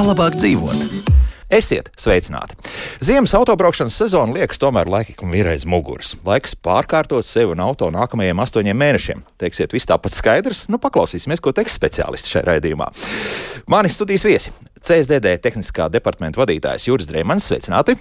Labāk dzīvot. Esiet sveicināti! Ziemas autobraukšanas sezona liekas tomēr laikam ir aiz muguras. Laiks pārkārtot sevi un auto nākamajiem 8 mēnešiem. Teiksiet, viss tāpat skaidrs? Nu, paklausīsimies, ko teiks speciālisti šajā raidījumā. Mani studijas viesi - CSDD tehniskā departamenta vadītājs Juris Dreimans. Sveicināti!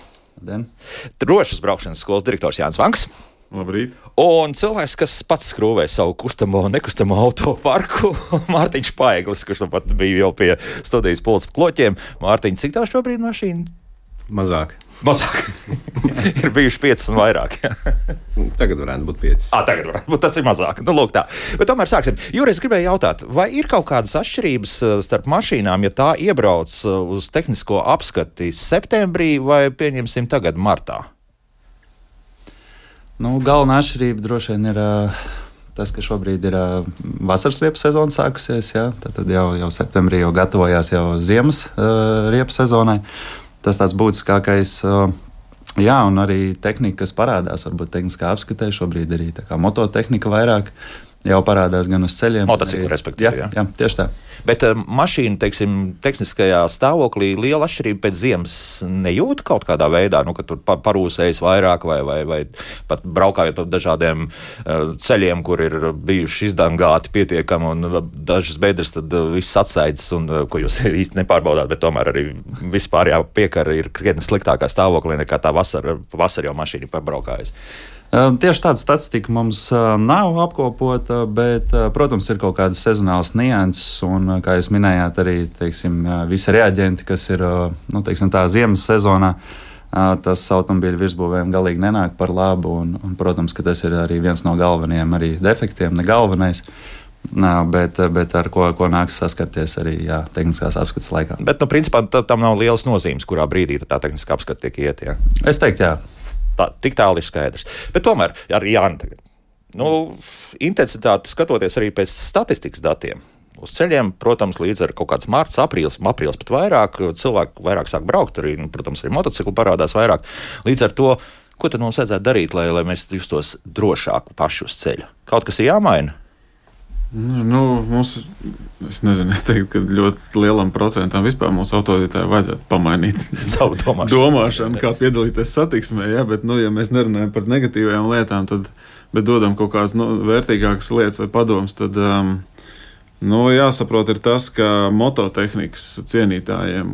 Drošas braukšanas skolas direktors Jānis Vanks. Labrīt. Un cilvēks, kas pats skrūvē savu kustamo un nekustamo auto parku, Mārtiņš Paeglis, kurš pat bija jau pie studijas pults kloķiem. Mārtiņ, cik tā šobrīd mašīna? Mazāk. Ir bijuši 5 un vairāk. Tagad varētu būt 5. Tagad varētu būt, tas ir mazāk. Nu, lūk tā. Bet tomēr sāksim. Juris, gribēju jautāt, vai ir kaut kādas atšķirības starp mašīnām, ja tā iebrauc uz tehnisko apskati septembrī vai, pieņemsim, tagad martā? Galvenā atšķirība droši vien ir tas, ka šobrīd ir vasaras riepu sezona sākusies. Ja? Tad jau septembrī jau gatavojās jau ziemas riepu sezonai. Tas tāds būtiskākais. Jā, un arī tehnika, kas parādās, varbūt tehniskā apskatē, šobrīd arī tā kā mototehnika vairāk jau parādās gan uz ceļiem. Motociklu, respektīvi. Jā, tieši tā. Bet mašīna, teiksim, tehniskajā stāvoklī liela atšķirība pēc ziemas nejūt kaut kādā veidā, ka tur parūsējas vairāk vai pat braukājot pa dažādiem ceļiem, kur ir bijuši izdangāti pietiekami un dažas bedres, tad viss atsaidzas, un ko jūs īsti nepārbaudāt, bet tomēr arī vispār piekara ir krietni sliktākā stāvoklī nekā tā vasara jau mašīna pabraukājas. Tieši tāda statistika mums nav apkopota, bet, protams, ir kaut kādas sezonālas nianses, un, kā jūs minējāt, arī visi reaģenti, kas ir tā ziemas sezonā, tas automobīļu virsbūvēm galīgi nenāk par labu, un, protams, ka tas ir arī viens no galvenajiem arī defektiem, ne galvenais. Bet ar ko nāks saskarties arī tehniskās apskates laikā. Bet, principā, tam nav lielas nozīmes, kurā brīdī tā tehniskā apskate tiek iet, jā? Es teiktu, jā. Tik tālu ir skaidrs. Bet tomēr, arī Jāni tagad. Intensitāte skatoties arī pēc statistikas datiem. Uz ceļiem, protams, līdz ar kaut kāds mārts, aprīlis pat vairāk, cilvēki vairāk sāk braukt, arī, protams, arī motocikli parādās vairāk. Līdz ar to, ko tad mums vajadzētu darīt, lai mēs justos drošāk paši uz ceļa? Kaut kas ir jāmaina? Es teiktu, ka ļoti lielam procentam vispār mūsu autovadītājiem vajadzētu pamainīt savu domāšanu, kā piedalīties satiksmē. Ja? Bet, ja mēs nerunājam par negatīvajām lietām, bet dodam kaut kādas vērtīgākas lietas vai padomus, tad jāsaprot ir tas, ka mototehnikas cienītājiem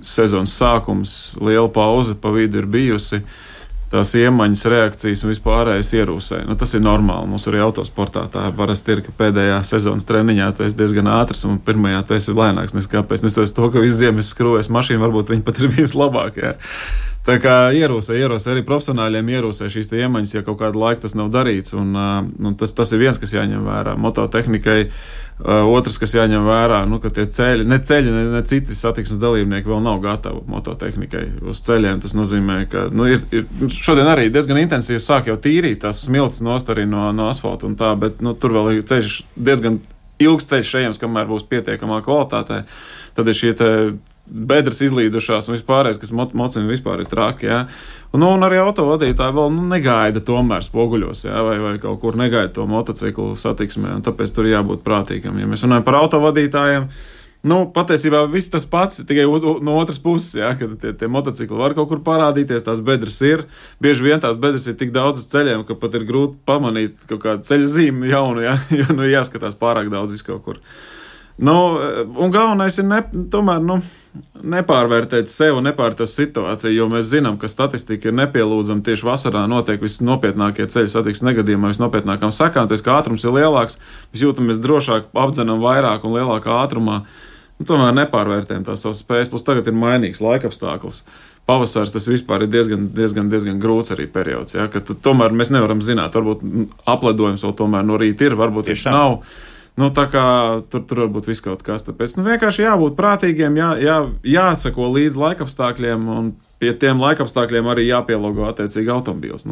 sezonas sākums, liela pauze pa vidu ir bijusi. Tās iemaņas, reakcijas un vispārējais ierūsē. Tas ir normāli. Mums arī autosportā tā parasti ir, ka pēdējā sezonas treniņā tu esi diezgan ātrs un pirmajā tu esi lēnāks. Neskāpēc to, ka visu ziemu es skrūvēju mašīnu, varbūt viņi pat ir bijusi labāk. Jā. Tā kā ierūsē arī profesionāļiem ierūsē šīs iemaņas, ja kaut kādu laiku tas nav darīts. Tas ir viens, kas jāņem vērā. Mototehnikai otrs, kas jāņem vērā, ka tie ceļi, ne citi satiksmes dalībnieki vēl nav gatavi mototehnikai uz ceļiem. Tas nozīmē, ka šodien arī diezgan intensīvi sāk jau tīrīt tās smiltis nost arī no asfalta un tā, bet tur vēl ir ceļš, diezgan ilgs ceļš ejams, kamēr būs pietiekamā kvalitātē. Tad ir šie bedres izlīdušās un vispārējais, kas mocina vispār ir traki. Ja? Un arī autovadītāji vēl negaida tomēr spoguļos, ja? vai kaut kur negaida to motociklu satiksmē, un tāpēc tur jābūt prātīgam. Ja mēs runājam par autovadītājiem, patiesībā viss tas pats, tikai no otras puses, ja? Kad tie motocikli var kaut kur parādīties, tās bedres ir. Bieži vien tās bedres ir tik daudz uz ceļiem, ka pat ir grūti pamanīt kaut kādu ceļa zīmi jaunu, ja? Jo jāskatās pārāk daudz visu kaut kur. Un galvenais ir tomēr nepārvērtēt sevi un nepārvērtēt situāciju, jo mēs zinām, ka statistika ir nepielūdzama. Tieši vasarā notiek visnopietnākie ceļu satiksmes negadījumi, visnopietnākām sekām, tas, ka ātrums ir lielāks, mēs jūtamies drošāk, apdzenam vairāk un lielākā ātrumā. Tomēr nepārvērtējam tās savas spējas, plus tagad ir mainīgs laikapstākļus. Pavasars tas vispār ir diezgan grūts arī periods, ja, ka tomēr mēs nevaram zināt, varbūt apledojums vēl tomēr no rīta ir, varbūt tieši nav. Tā kā tur varbūt viss kaut kas. Tāpēc vienkārši jābūt prātīgiem, jāsako līdz laikapstākļiem, un pie tiem laikapstākļiem arī jāpielāgo attiecīgi automobīls.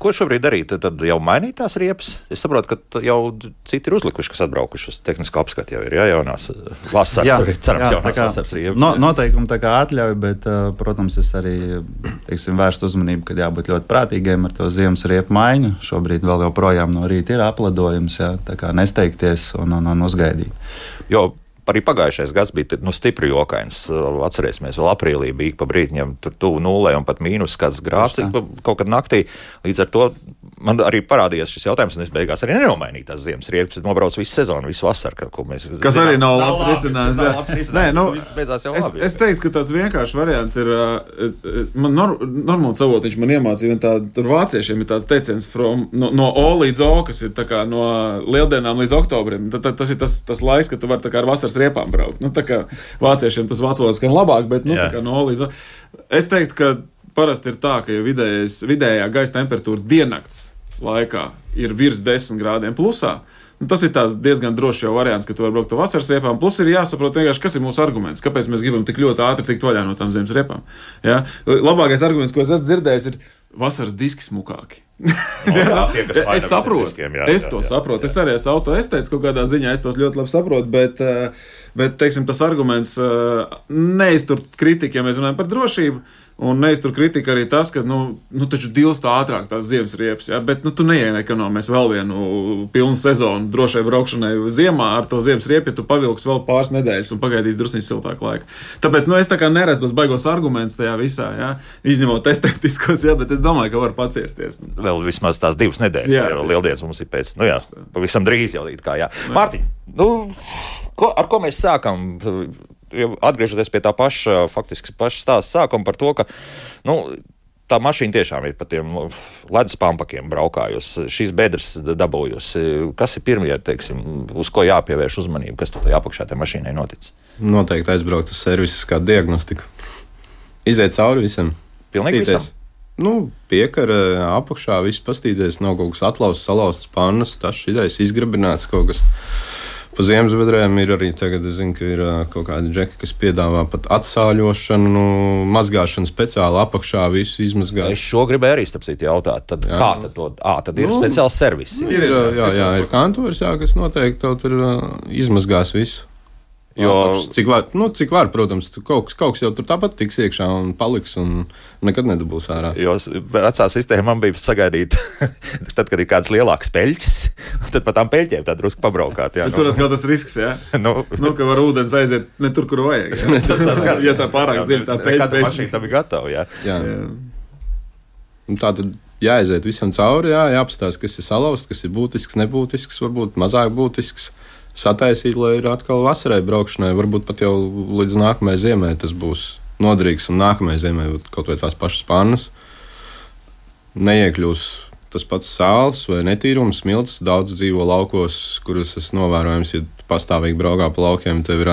Ko šobrīd darīt? Tad jau mainīt tās riepas? Es saprotu, ka jau citi ir uzlikuši, kas atbraukuši uz tehnisko apskati jau ir, jaunās vasaras, cerams, jaunās vasaras riepas. Noteikumi tā kā atļauj, bet, protams, es arī, vērstu uzmanību, ka jābūt ļoti prātīgiem ar to ziemas riepu maiņu. Šobrīd vēl joprojām no rīta ir apledojums, tā kā nesteigties un uzgaidīt. Jo arī pagājušais gads bija stipri jokains. Atcerēsimies, vēl aprīlī bija pa brītņiem tur tuvu nulē un pat mīnus kāds grāds kaut kad naktī. Līdz ar to man arī parādījās šis jautājums, un es beigās arī nenomainīju tās ziemas riepas. Es nobraucu visu sezonu, visu vasaru, ko mēs zinām. Kas arī nav labs risinājums. Nē, beidzās jau labi. Es teiktu, ka tas vienkārši variants ir, man Normons Savotiņš man iemācīja, tur vāciešiem ir tāds teiciens no O līdz O, kas ir tā kā no lieldienām līdz oktobrim. Tas ir tas laiks, kad tu vari tā kā ar vasaras riepām braukt. Tā kā vāciešiem tas vācu valodā skan labāk, bet tā kā no O līdz O. Es teiktu, ka parasti ir tā, ka vidējā gaisa temperatūra diennakts laikā ir virs 10 grādiem plusā. Tas ir diezgan drošs jau variants, ka tu vari braukt ar vasaras riepām. Plus ir jāsaprot vienkārši, kas ir mūsu arguments, kāpēc mēs gribam tik ļoti ātri tikt vaļā no tām ziemas riepām. Ja? Labākais arguments, ko es esmu dzirdējis, ir vasaras diski smukāki. Es saprotu, saprotu. Es arī esmu autoestēts kaut kādā ziņā, es tos ļoti labi saprotu, bet teiksim, tas arguments neiztur kritiku, ja mēs runājam par drošību, un neiztur kritika arī tas, ka, taču dilst ātrāk tās ziemas riepas, ja? Bet, tu neiekonomēs vēl vienu pilnu sezonu drošai braukšanai ziemā ar to ziemas riepu, ja tu pavilks vēl pāris nedēļas un pagaidīs drusnīgi siltāku laiku. Tāpēc, es tā kā neredzu tos baigos argumentus tajā visā, ja? Izņemot estētiskos, ja? Bet es domāju, ka var paciesties. Vēl vismaz tās 2 nedēļas, jo lieldienas mums ir pēc, pavisam drīz jau kā, jā. Mārtiņ, ar ko mēs sākam? Atgriežoties pie tā paša stāsta sākuma par to, ka tā mašīna tiešām ir pa tiem ledus pampakiem braukājusi, šīs bedres dabūjusi. Kas ir pirmie, uz ko jāpievērš uzmanību, kas tur apakšā tai mašīnai noticis? Noteikti aizbraukt uz servisu kā diagnostiku. Iziet cauri visam. Pilnīgi visam? Piekara apakšā, viss pastīties, nav kaut kas atlauzts, salauzts pannas, tas šitais izgrabināts kaut kas. Pa ziemas bedrēm ir arī tagad, es zinu, ka ir kaut kādi džeki, kas piedāvā pat atsāļošanu, mazgāšanu speciāli apakšā, visu izmazgāt. Es šo gribēju arī starpcīt jautāt. Tad tad ir speciāls servis. Ir kantors, kas noteikti tev tur izmazgās visu. Jo, cik var, protams, kaut kas jau tur tāpat tiks iekšā un paliks un nekad nedabūs ārā. Jo vecā sistēma man bija sagaidīt, tad, kad ir kāds lielāks peļķis, tad pa tām peļķiem tā drusku pabraukāt. Jā, tur atkal tas risks, jā? Ka var ūdens aiziet ne tur, kur vajag. Ja tā pārāk dziļi tā peļķa. Kāda mašīna tam ir gatava, jā. Tā tad jāaiziet visam cauri, jāapstās, kas ir salauzts, kas ir būtisks, nebūtisks, varbūt mazāk būtisks. Sataisīt, lai ir atkal vasarai braukšanai, varbūt pat jau līdz nākamajai ziemai tas būs noderīgs, un nākamajai ziemai kaut vai tās pašas pannas. Neiekļūs tas pats sāls vai netīrums, smilts, daudz dzīvo laukos, kurus es novērojams, ja pastāvīgi braukā pa laukiem, tev ir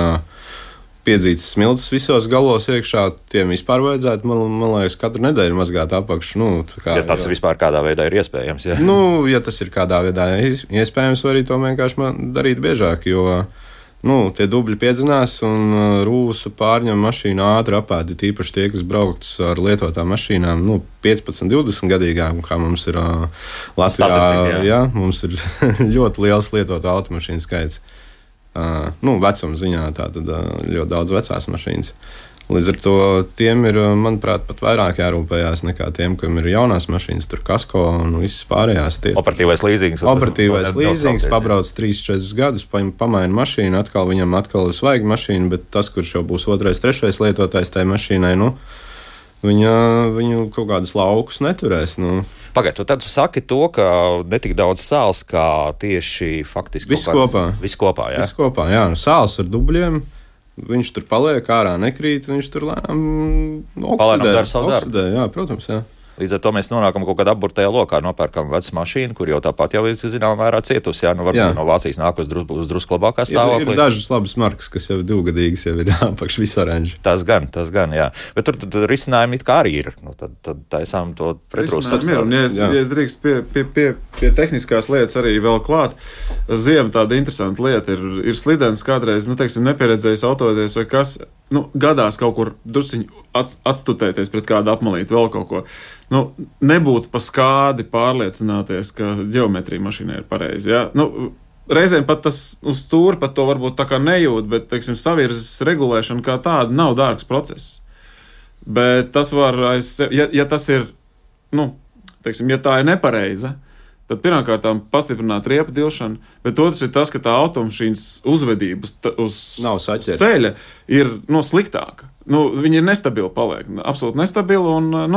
piedzītas smilts visos galos iekšā, tiem vispār vajadzētu, man liekas, katru nedēļu mazgāt apakšu. Ja tas vispār kādā veidā ir iespējams, jā? Ja tas ir kādā veidā iespējams, var arī to vienkārši darīt biežāk, jo tie dubļi piedzinās un rūsa pārņem mašīnu ātri apēdi, tīpaši tie, kas braukts ar lietotām mašīnām, 15, 20 gadīgām, kā mums ir Latvijā, mums ir ļoti liels lietotā automašīnu skaits. Vecuma ziņā tātad ļoti daudz vecās mašīnas. Līdz ar to tiem ir, manuprāt, pat vairāk jārūpējās nekā tiem, kam ir jaunās mašīnas, tur kasko un visas pārējās. Operatīvais līzings. Pabrauc 3-4 gadus, pamaina mašīnu, viņam ir svaiga mašīna, bet tas, kurš jau būs 2., 3. lietotājs tai mašīnai, viņu kaut kādas laukus neturēs. Pagaidu, tad tu saki to, ka netik daudz sāls, kā tieši faktiski viss kopā. Viss kopā, jā? Viss kopā, jā. Sāls ar dubļiem, viņš tur paliek, ārā nekrīt, viņš tur lēnām oksidē. Jā, protams, jā. Līdz ar to mēs nonākam kaut kādā apburtajā lokā, nopērkam vecu mašīnu, kur jau tāpat jau ir, zināmā mērā, cietusi. Varbūt no Vācijas nāk uz drusku labākā stāvoklī. Ir dažas labas markas, kas jau ir 2-gadīgas, jau ir apakš visu oranži. Tas gan, jā. Bet tur risinājumi it kā arī ir. Tad taisām to pretrūsas. Ja es drīkst pie tehniskās lietas arī vēl klāt, ziema tāda interesanta lieta ir slidens kādreiz, nepieredzējis autodies vai kas, gadās kaut kur drusciņi atstutēties pret kādu apmalīti, vēl kaut ko. Nu, nebūtu pa skādi pārliecināties, ka ģeometrija mašīnai ir pareizi. Ja? Nu, reizēm pat tas uz stūri pat to varbūt tā kā nejūt, bet, teiksim, savirzes regulēšana kā tāda nav dārgs process. Bet tas var, ja tas ir, nu, teiksim, ja tā ir nepareiza, tad pirmkārtām pastiprināt riepu dilšanu, bet otrs ir tas, ka tā automašīnas uzvedība uz ceļa ir sliktāka. Viņa ir nestabila paliek, absolūti nestabila un,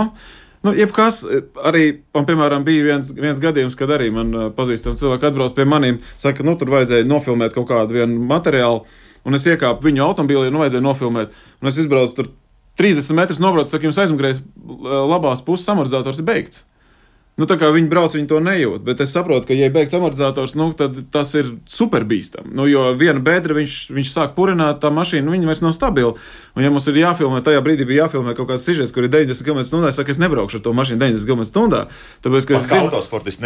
jebkas, arī, man, piemēram, bija viens gadījums, kad arī man pazīstami cilvēki atbrauc pie manīm, saka, tur vajadzēja nofilmēt kaut kādu vienu materiālu, un es iekāpu viņu automobilī, vajadzēja nofilmēt, un es izbraucu tur 30 metrus nobrauc, saka, jums aizmugurējais labās puses amortizators ir beigts. Tā kā viņi brauc, viņi to nejūt, bet es saprotu, ka, ja ir beigts amortizators, tad tas ir super bīstam. Jo viena bedra, viņš sāk purināt, tā mašīna, viņa vairs nav stabila. Un ja mums ir jāfilmē, tajā brīdī bija jāfilmē kaut kāds sižets, kur ir 90 km/h, es saku, es nebraukšu ar to mašīnu 90 km/h. Tāpēc, ka es zinu, autosportists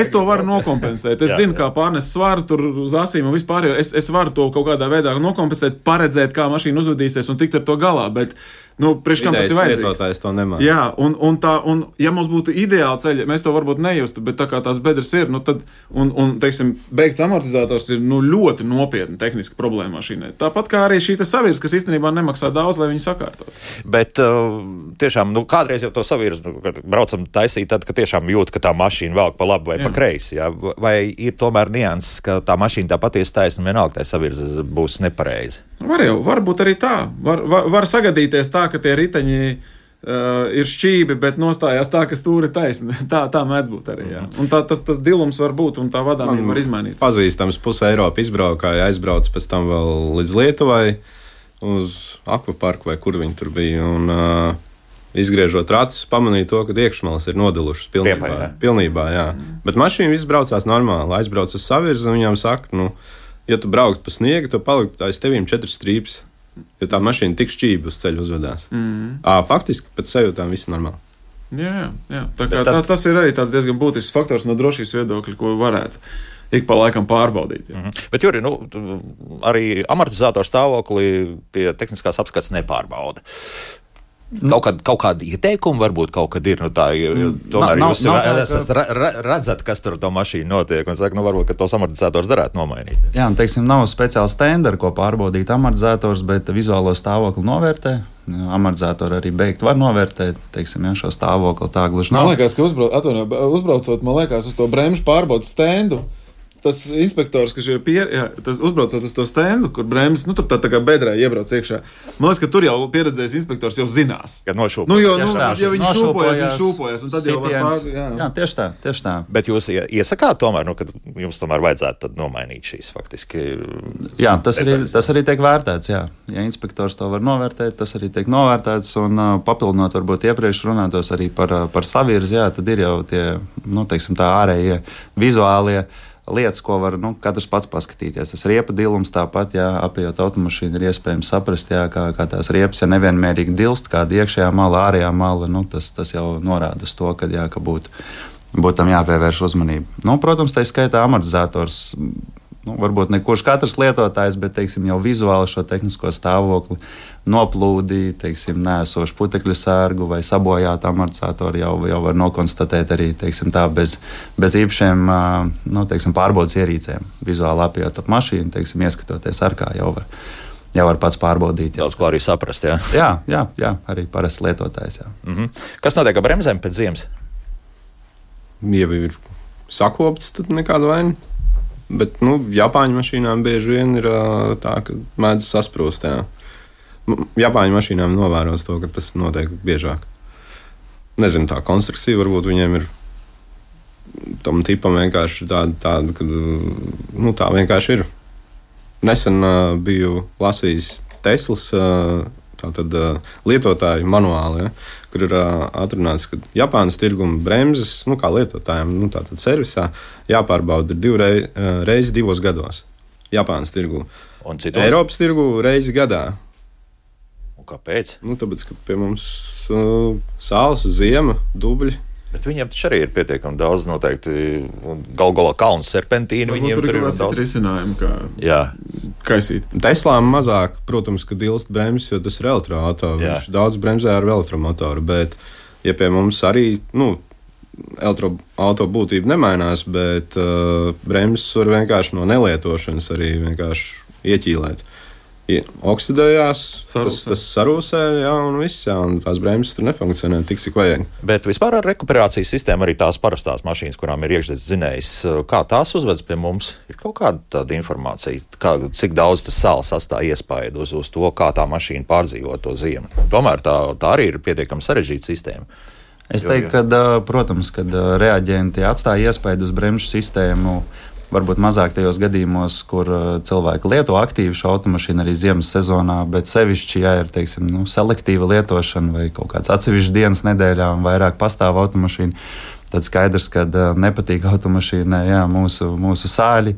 es to varu nokompensēt. Es zinu, kā pārnes svaru tur uz asīm un vispār, jo es varu to kaut kādā veidā nokompensēt, paredzēt, kā mašīna uzvedīsies un tikt ar to galā, bet priekš kam tas ir vajadzīgs? To nemāc. Jā, un ja mums būtu ideāli ceļi, mēs to varbūt nejustu, bet tā kā tās bedres ir, tad, teiksim, beigts amortizators ir, ļoti nopietna tehniska problēma mašīnai. Tāpat kā arī šī savirs, kas īstenībā nemaksā daudz, lai viņu sakārtot. Bet tiešām, kādreiz jau to savirs, kad braucam taisīt, tad, ka tiešām jūt, ka tā mašīna velk pa labi vai pa kreisi, jā? Vai ir tomēr nianses, ka tā mašīna tā patiesi taisna, vienalga tā savirs būs nepareizi? Varbūt arī tā. Var sagadīties tā, ka tie riteņi ir šķībi, bet nostājās tā, ka stūri taisni. Tā mēdz būt arī. Jā. Un tas dilums var būt, un tā vadāmība var izmainīt. Pazīstams puse Eiropa izbraukāja, aizbrauc pēc tam vēl līdz Lietuvai uz akvaparku vai kur viņi tur bija. Un, izgriežot ratus, pamanīja to, ka iekšmalas ir nodilušas pilnībā. Jā. Bet mašīna viss braucās normāli. Aizbrauc uz savirzi, un viņām saka, ja tu braukt pa sniegu, tu palikt aiz tevīm 4 strīpes, jo tā mašīna tik šķība uz ceļu uzvedās. Faktiski pēc sajūtām viss normāli. Jā. Tas ir arī tāds diezgan būtisks faktors no drošības viedokļa, ko varētu ik pa laikam pārbaudīt. Jā. Bet, Juri, arī amortizātoru stāvokli pie tehniskās apskates nepārbauda. Kaut kāda ieteikuma varbūt kaut kad ir, tomēr jūs redzat, kas tur to mašīnu notiek, un saka, varbūt, ka tos amortizators darētu nomainīt. Jā, nav speciāla stendera, ko pārbaudīt amortizators, bet vizuālo stāvokli novērtē. Amortizatori arī beigt var novērtēt, šo stāvokli tā gluži nav. Man liekas, ka uzbraucot, uz to bremžu pārbaudas stendu, tas inspektors, kas ir uzbraucot uz to stendu, kur bremzes, tur tā kā bedrē iebrauc iekšā. Man liekas, ka tur jau pieredzējis inspektors jau zinās. Kad nošūpojas. Ja viņš šūpojas, un tad jau var Jā, tieši tā. Bet jūs iesakāt tomēr, ka jums tomēr vajadzētu tad nomainīt šīs faktiski. Jā, tas arī tiek vērtēts, jā. Ja inspektors to var novērtēt, tas arī tiek novērtēts, un papildinot varbūt iepriekš runātos arī par savirzi, jā, tad ir jau tie, tā ārējie vizuālie lietas, ko var katrs pats paskatīties. Tas riepa dilums tāpat, apējot automašīnu, ir iespējams saprast, kā tās riepas ir nevienmērīgi dilst, kāda iekšējā mala, ārējā mala. Tas jau norāda uz to, ka būtu tam jāpievērš uzmanība. Protams, tā skaitā amortizators. Varbūt ne kurš katrs lietotājs, bet jau vizuāli šo tehnisko stāvokli, noplūdi, nēsošu putekļu sērgu vai sabojātu amortizatoru jau var nokonstatēt arī bez īpašiem pārbaudas ierīcēm. Vizuāli apjot ap mašīnu, ieskatoties arkā, jau var pats pārbaudīt. Daudz ko arī saprast, jā? Jā, arī parasts lietotājs. Kas notiek ar bremzēm pēc ziemas? Ja ir sakopts, tad nekāda vaina. Bet Japāņu mašīnām bieži vien ir tā, ka mēdz sasprūst. Japāņu mašīnām novēros to, ka tas notiek biežāk. Nezinu, tā konstrukcija varbūt viņiem ir tam tipam vienkārši tāda ka tā vienkārši ir. Nesen biju lasījis Teslas lietotāju manuāli, kur ir atrunāts, ka Japānas tirguma bremzes, kā lietotājiem, tātad servisā, jāpārbauda 2 reizes 2 gados. Japānas tirgu. Eiropas tirgu reizi gadā. Un kāpēc? Tāpēc, ka pie mums sāls, ziema, dubļi. Bet viņiem taču arī ir pietiekami daudz noteikti, galā kalnu serpentīnu. Viņiem tur ir daudz risinājumu, kaisīt. Teslām mazāk, protams, ka dilst bremzes, jo tas ir elektroauto. Viņš daudz bremzē ar elektromotoru, bet, ja pie mums arī, elektroauto būtība nemainās, bet bremzes var vienkārši no nelietošanas arī vienkārši ieķīlēt. Oksidējās, tas sarūsē, un viss, un tās bremzes tur nefunkcionē tik, cik vajag. Bet vispār ar rekuperācijas sistēmu arī tās parastās mašīnas, kurām ir iekšzemes dzinējs, kā tās uzvedas pie mums, ir kaut kāda tāda informācija, cik daudz tas sāls atstāja iespaidu uz to, kā tā mašīna pārdzīvo to ziemu. Tomēr tā arī ir pietiekami sarežģīta sistēma. Es teiktu, ka, protams, kad reaģenti atstāja iespaidu uz bremžu sistēmu, varbūt mazāk tajos gadījumos, kur cilvēki lieto aktīvi šo automašīnu arī ziemas sezonā, bet sevišķi, ja ir, teiksim, selektīva lietošana vai kaut kāds atsevišķs dienas nedēļā un vairāk pastāv automašīna, tad skaidrs, ka nepatīk automašīnai mūsu sāļi.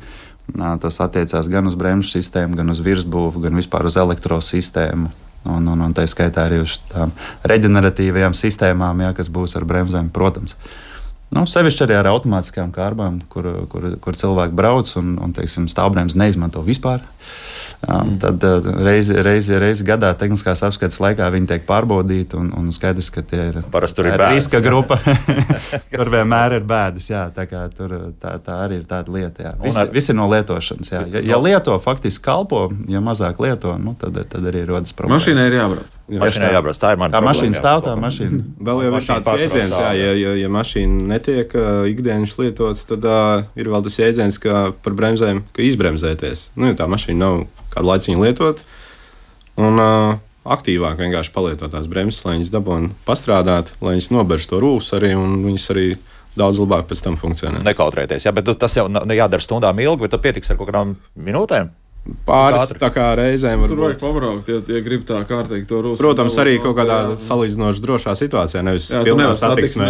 Tas attiecās gan uz bremžu sistēmu, gan uz virsbūvu, gan vispār uz elektrosistēmu. Un tā skaitā arī uz tām reģeneratīvajām sistēmām, kas būs ar bremzēm, protams. Sevišķi arī ar automātiskām kārbām, kur cilvēki brauc un teiksim, stāvbremzes neizmanto vispār. Tad reizi gadā tehniskās apskates laikā viņi tiek pārbaudīti un skaidrs, ka tie ir riska grupa. Tur vienmēr ir bēdas. Jā, tā arī ir tāda lieta. Visi ir no lietošanas. Jā. Ja lieto, faktiski kalpo, ja mazāk lieto, tad arī rodas problēmas. Mašīnai ir jābrauc. Mašīnai jābrauc. Tā ir mana problēma. Mašīna stāv, tā mašīna. Vēl jau ir tāds jēdziens, ja mašīna netiek ikdienas lietots, tad ir vēl tas jēdziens, ka par bremzēm, ka izbremzēties. Ja tā mašīna nav kādu laiciņu lietot, un aktīvāk vienkārši palietot tās bremzes, lai viņas dabūtu pastrādāt, lai viņas nobērš to rūsu arī, un viņas arī daudz labāk pēc tam funkcionē. Nekautrēties, bet tas jau jādara stundām ilgi, bet tad pietiks ar kaut kādām minūtēm? Pāris tā kā reizēm var būt. Tur vajag pabraukt, ja grib tā kārtīgi to rūsu. Protams, arī kaut kādā salīdzinoši drošā situācijā, nevis pilnā satiksmē.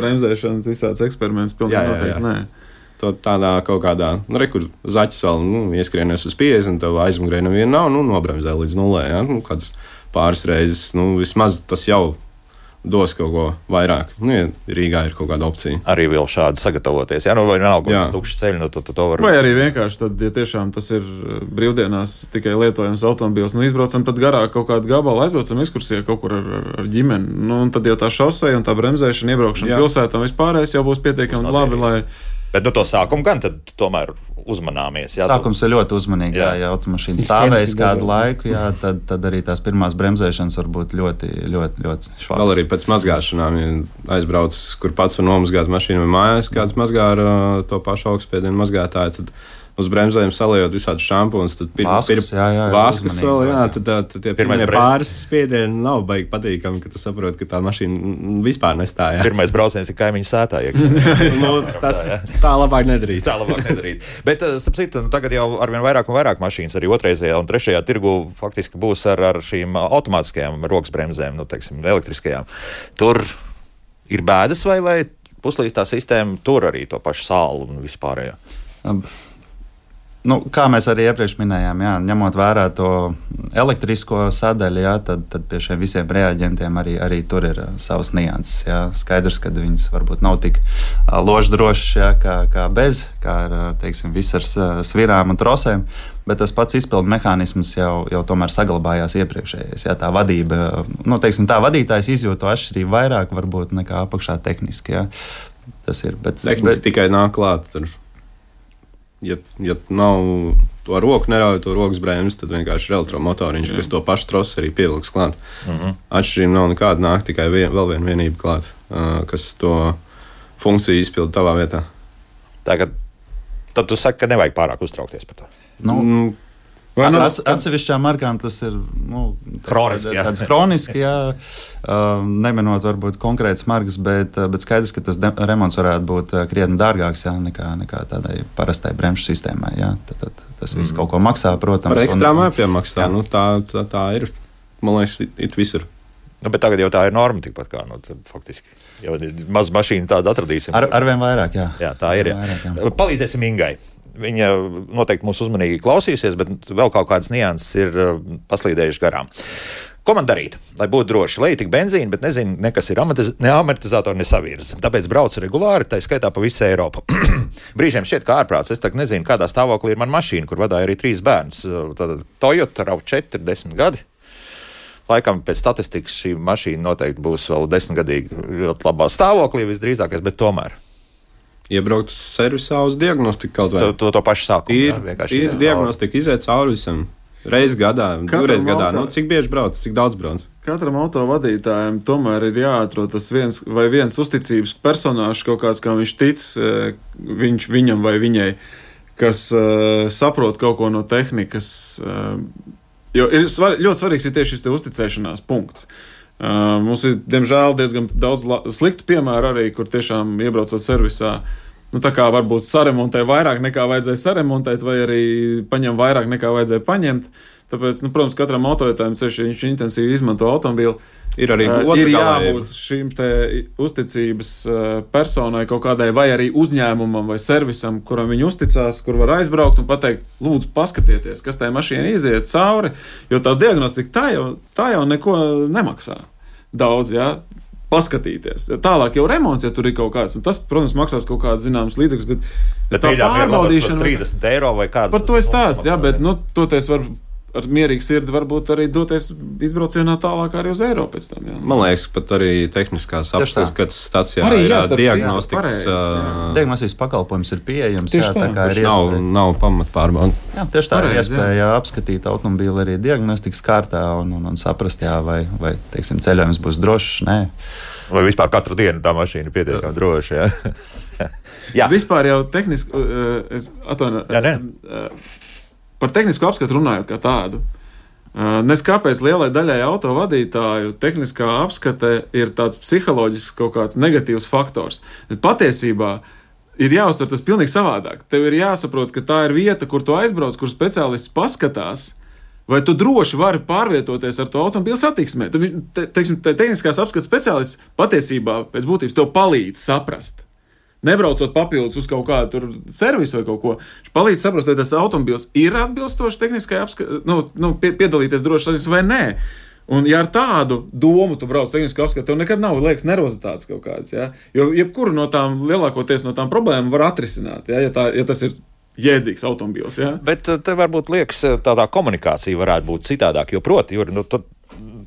Bremzēšanas visāds eksperiments pilnīgi noteikti nē. Tādā kaut kādā, kur zaķis vēl ieskrienies uz 50, tev aizmugurē neviena nav, nobremzē līdz nulē. Kādas pāris reizes, vismaz tas jau dos kaut ko vairāk. Ja Rīgā ir kaut kāda opcija. Arī vēl šādi sagatavoties. Vai nav kaut kāds tukšs ceļš, to var. Vai arī vienkārši tad, ja tiešām tas ir brīvdienās tikai lietojams automobils, izbraucam tad garāk kaut kādu gabalu, aizbraucam ekskursijā kaut kur ar ģimeni. Un tad jau tā šosei un tā bremzēšana, iebraukšana pilsētā un vispārējais jau būs pietiekami labi, lai. Bet to sākumu gan tad tomēr uzmanāmies. Sākums ir ļoti uzmanīgi. Ja automašīna stāvēs kādu laiku, tad arī tās pirmās bremzēšanas var būt ļoti, ļoti, ļoti švākas. Vēl arī pēc mazgāšanām, ja aizbrauc, kur pats var nomazgāt mašīnu vai mājās, kāds mazgā ar to pašu augstspiedienu mazgātāju, tad uz bremzēm saliejot visādus šampūnus, tad vāskas vēl, tad tie pirmie pāris spiedieni nav baigi patīkami, ka tu saproti, ka tā mašīna vispār nestājās. Pirmais brauciens ir kaimiņu sētā. Tā labāk nedarīt. Bet, sapcīt, tagad jau arvien vairāk un vairāk mašīnas, arī otrreizajā un trešajā tirgu faktiski būs ar šīm automātiskajām rokas bremzēm, teiksim, elektriskajām. Tur ir bēdas vai puslīdz tā sistēma tur arī to pašu sālu un vispārējo? Kā mēs arī iepriekš minējām, ņemot vērā to elektrisko sadaļu, tad pie šiem visiem reaģentiem arī tur ir savas nianses. Skaidrs, ka viņas varbūt nav tik loždrošas kā bez, kā ar, teiksim, viss ar svirām un trosēm, bet tas pats izpildu mehānisms jau tomēr saglabājās iepriekšējais. Tā vadība, tā vadītājs izjūt to atšķirību vairāk varbūt nekā apakšā tehniski. Tas ir. Tehniski tikai nāk klāt. Ja nav to roku, nerauj to rokas bremzi, tad vienkārši ir elektromotoriņš, kas to pašu trosu arī pievilks klāt. Atšķirība nav nekāda, nāk tikai vēl viena vienība klāt, kas to funkciju izpilda tavā vietā. Tad tu saki, ka nevajag pārāk uztraukties par to. Atsevišķām markām tas ir hroniski, neminot varbūt konkrētas markas, bet skaidrs, ka tas remonts varētu būt krietni dārgāks nekā tādai parastai bremžu sistēmai. Tas viss kaut ko maksā, protams. Par ekstrām jāpiemaksā, tā ir, man liekas, it visur. Bet tagad jau tā ir norma tikpat kā, faktiski. Jau maz mašīnu tādu atradīsim. Arvien vairāk, jā. Jā, tā ir. Palīdzēsim Ingai. Viņa noteikti mūs uzmanīgi klausīsies, bet vēl kaut kādas nianses ir paslīdējušas garām. Ko man darīt, lai būtu droši? Lai tik benzīna, bet nezinu, nekas ir ne amortizatori, ne savirze. Tāpēc braucu regulāri, tā skaitā pa visu Eiropu. Brīžiem šķiet, kā ārprāts. Es tagad nezinu, kādā stāvoklī ir mana mašīna, kur vadāja arī 3 bērns. Tātad Toyota RAV4, 10 gadi. Laikam pēc statistikas šī mašīna noteikti būs vēl 10-gadīgi ļoti labā stāvoklī visdrīzākais, bet tomēr. Iebraukt servisā uz diagnostiku kaut vai. To pašu sākumu. Ir diagnostika, iziet cauri visam. Reiz gadā, 2 gadā. Cik bieži brauc, cik daudz brauc? Katram autovadītājam tomēr ir jāatrod tas viens uzticības personāžs, kaut kāds, kā viņš tic, viņam vai viņai, kas saprot kaut ko no tehnikas. Jo ļoti svarīgs ir tieši šis uzticēšanās punkts. Mums ir, diemžēl, diezgan daudz sliktu piemēru arī, kur tiešām iebraucot servisā, tā kā varbūt saremontē vairāk nekā vajadzēja saremontēt, vai arī paņem vairāk nekā vajadzēja paņemt. Tāpēc, protams, katram autovadītājam ceļš, ja viņš intensīvi izmanto automobīlu, ir jābūt šīm te uzticības personai kaut kādai, vai arī uzņēmumam vai servisam, kuram viņi uzticās, kur var aizbraukt un pateikt, lūdzu, paskatieties, kas tai mašīnai iziet cauri, jo tā diagnostika tā jau neko nemaksā daudz, jā. Paskatīties. Tālāk jau remonts, ja tur ir kaut kāds. Tas, protams, maksās kaut kāds zināms līdzeklis, bet tā pārbaudīšana... 30 eiro vai kāds... Par to ir stāsts, jā, bet, toties var ar mierīgu sirdi varbūt arī doties izbraucienā tālāk arī uz Eiropu pēc tam, jā. Man liekas, pat arī tehniskās apskates, kad stacijā ir diagnostikas... Diagnostikas pakalpojums ir pieejams, jā, tā kā ir nav pamatpārbauda. Jā, tieši tā ir iespēja apskatīt automobīli arī diagnostikas kārtā un saprast, jā, vai teiksim, ceļojums būs drošs, nē. Vai vispār katru dienu tā mašīna ir pietiekami droša, jā. Jā. Vispār jau tehniski, par tehnisko apskatu runājot kā tādu. Nes kāpēc lielai daļai autovadītāju tehniskā apskate ir tāds psiholoģisks kaut kāds negatīvs faktors. Patiesībā ir jāuztver tas pilnīgi savādāk. Tev ir jāsaprot, ka tā ir vieta, kur tu aizbrauc, kur speciālists paskatās, vai tu droši vari pārvietoties ar to automobīlu satiksmē. Tehniskās apskates speciālists patiesībā pēc būtības tev palīdz saprast. Nebraucot papildus uz kaut kādu servisu vai kaut ko, viņš palīdz saprast, vai tas automobils ir atbilstoši tehniskai piedalīties droši satiksmē vai nē. Un ja ar tādu domu tu brauc tehniskā apskatē, tev nekad nav liekas nervozitātes kaut kādas, ja? Jo jebkuru no tām, lielākoties no tām problēmām var atrisināt, ja tas ir jēdzīgs automobils. Ja? Bet te varbūt liekas, tādā komunikācija varētu būt citādāk, jo proti,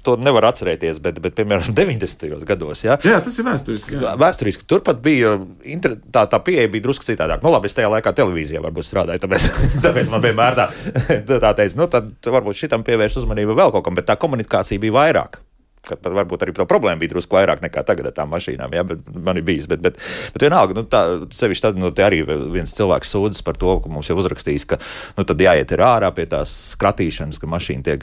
to nevar atcerēties, bet piemēram, 90. gados. Ja? Jā, tas ir vēsturiski. Vēsturiski. Turpat bija tā pieeja bija drusku citādāk. Labi, es tajā laikā televīzijā varbūt strādāju, tāpēc man vienmēr tā teica, tad varbūt šitam pievērš uzmanību vēl kaut kam, bet tā komunikācija bija vairāk. Kad varbūt arī tā problēma bija drusku vairāk nekā tagad ar tām mašīnām, ja, bet man ir bijis. Bet vienalga, sevišķi tad, te arī viens cilvēks sūdzas par to, ka mums jau uzrakstījis, ka, tad jāiet ir ārā pie tās skratīšanas, ka mašīna tiek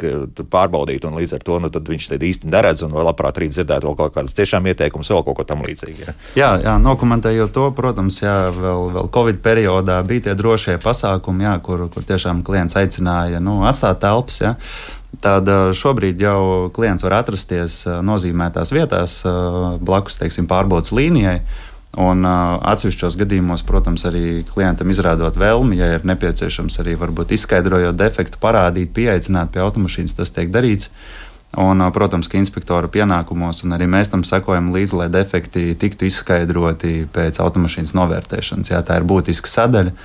pārbaudīta, un līdz ar to, tad viņš te īsti neredz, un vēl labprāt arī dzirdētu vēl kaut kādas tiešām ieteikumus, vēl kaut ko tam līdzīgi. Ja. Jā, nokomentējot to, protams, jā, vēl Covid periodā bija tie drošie pasākumi, jā, kur tiešām klients aicināja, atstāt telpas, jā. Tad šobrīd jau klients var atrasties nozīmētās vietās blakus, teiksim, pārbaudas līnijai. Un atsevišķos gadījumos, protams, arī klientam izrādot vēlmi, ja ir nepieciešams arī varbūt izskaidrojot defektu, parādīt, pieaicināt pie automašīnas, tas tiek darīts. Un, protams, ka inspektora pienākumos, un arī mēs tam sekojam līdzi, lai defekti tiktu izskaidroti pēc automašīnas novērtēšanas. Jā, tā ir būtiska sadaļa.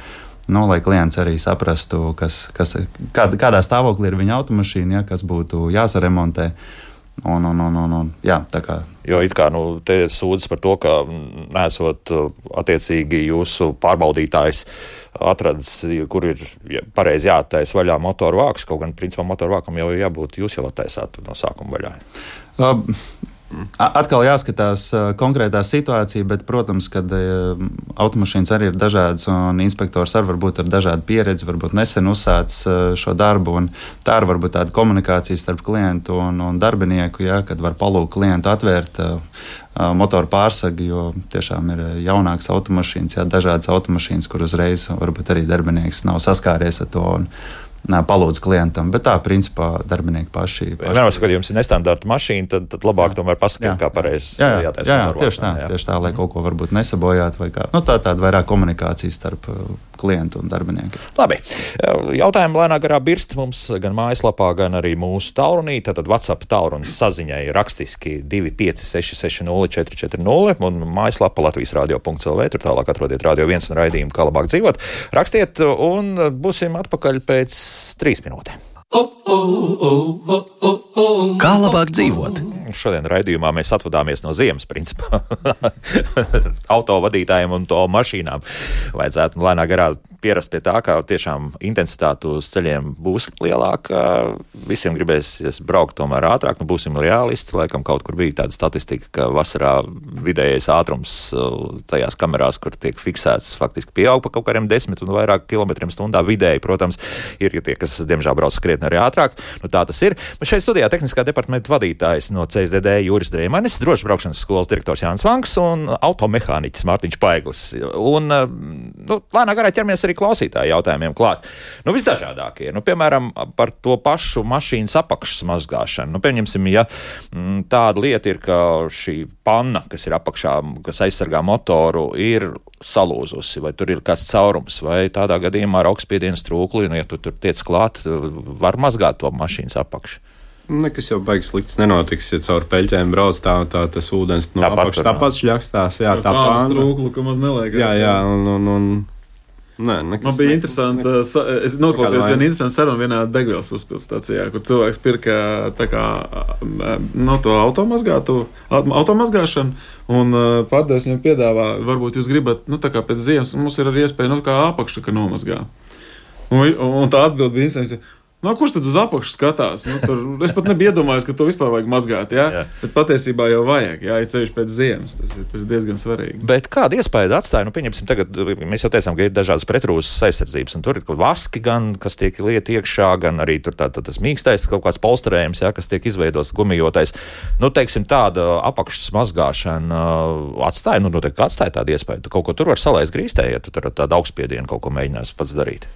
Lai klients arī saprastu, kādā stāvoklī ir viņa automašīna, ja, kas būtu jāsaremontē. Jā, tā kā. Jo it kā te sūdzas par to, ka nesot attiecīgi jūsu pārbaudītājs atradis, kur ir pareizi jāattaisa vaļā motoru vāks, kaut gan principā motoru vākam jau jābūt, jūs jau attaisāt no sākuma vaļā. Atkal jāskatās konkrētā situācija, bet, protams, kad automašīnas arī ir dažādas un inspektors arī varbūt ar dažādu pieredzi, varbūt nesen uzsācis šo darbu, un tā ir varbūt tāda komunikācija starp klientu un darbinieku, ja, kad var palūgt klientu atvērt motoru pārsagi, jo tiešām ir jaunākas automašīnas, ja, dažādas automašīnas, kur uzreiz varbūt arī darbinieks nav saskāries ar to. palūdz klientam. Bet tā, principā, darbinieki paši. Vienmēr, kad jums ir nestandarta mašīna, tad labāk tomēr paskatīt, kā pareizi jātaisa. Jā, tieši tā, lai kaut ko varbūt nesabojātu vai kā. Tāda vairāk komunikācija starp klientu un darbinieku. Labi. Jautājumi lēnā garā birst mums gan mājaslapā, gan arī mūsu tālrunī. Tātad WhatsApp tālrunis saziņai rakstiski 25660 un mājaslapa latvijasradio.lv. Tur tālāk atrodiet Radio 1 un raidījumu Kā labāk dzīvot. Rakstiet un būsim atpakaļ pēc 3 minūtēm. Kā labāk dzīvot? Šodien raidījumā mēs atvadāmies no ziemas, principā. Autovadītājiem un to mašīnām. Vajadzētu lēnā garā pierast pie tā, ka tiešām intensitāte uz ceļiem būs lielāka. Visiem gribēsies braukt tomēr ātrāk. Būsim realisti. Laikam kaut kur bija tāda statistika, ka vasarā vidējais ātrums tajās kamerās, kur tiek fiksēts, faktiski pieaug pa kaut kādiem 10 un vairāk kilometriem stundā vidēji. Protams, ir tie, kas diemžēl brauc krietni arī ātrāk. Tā tas ir. Bet šeit studijā tehniskā departamenta vadītājs no CSDD Juris Dreimanis, drošas braukšanas skolas direktors Jānis Vanks un automehāniķis Mārtiņš Paiglis. Un lēnā garā ķeramies arī klausītāju jautājumiem klāt. Visdažādākie. Piemēram, par to pašu mašīnas apakšas mazgāšanu. Pieņemsim, ja tāda lieta ir, ka šī panna, kas ir apakšā, kas aizsargā motoru, ir salūzusi, vai tur ir kāds caurums, vai tādā gadījumā ar augstspiediena strūkli, ja tu tur tiec klāt, var mazgāt to mašīnas apakšu. Nekas jau baigs slikts nenotiks, ja caur peļķēm brauc tā tas ūdens no apakšas tāpat šļakstās. Jā, tā pāri strūklu, ka maz neliekas. Jā, un nē, man bija interesanti, es noklausījos vienu interesantu sarunu vienā degvielas uzpildstācijā, kur cilvēks pirka tā kā to automazgāšanu, un pārdevējs viņam piedāvā, varbūt jūs gribat, tā kā pēc ziemas, mums ir arī iespēja, kā apakšu, ka nomazgā. Un tā atbild bija interesanti. Kurš tad uz apakšu skatās? Es pat nebiju iedomājies, ka to vispār vajag mazgāt. Jā? Bet patiesībā jau vajag, ja ceļš pēc ziemas. Tas ir diezgan svarīgi. Bet kāda iespēja atstāja? Pieņemsim, tagad mēs jau teicām, ka ir dažādas pretrūzas aizsardzības, un tur ir vaski gan, kas tiek liet iekšā, gan arī tur tas mīkstais kaut kāds polsterējums, kas tiek izveidots gumijotais. Teiksim, tāda apakšas mazgāšana atstāja, noteikti atstāja tādu iespēju. Tu kaut ko tur var salaist grīstē, ja tu tur ar tādu augstspiedienu kaut ko mēģinās pats darīt.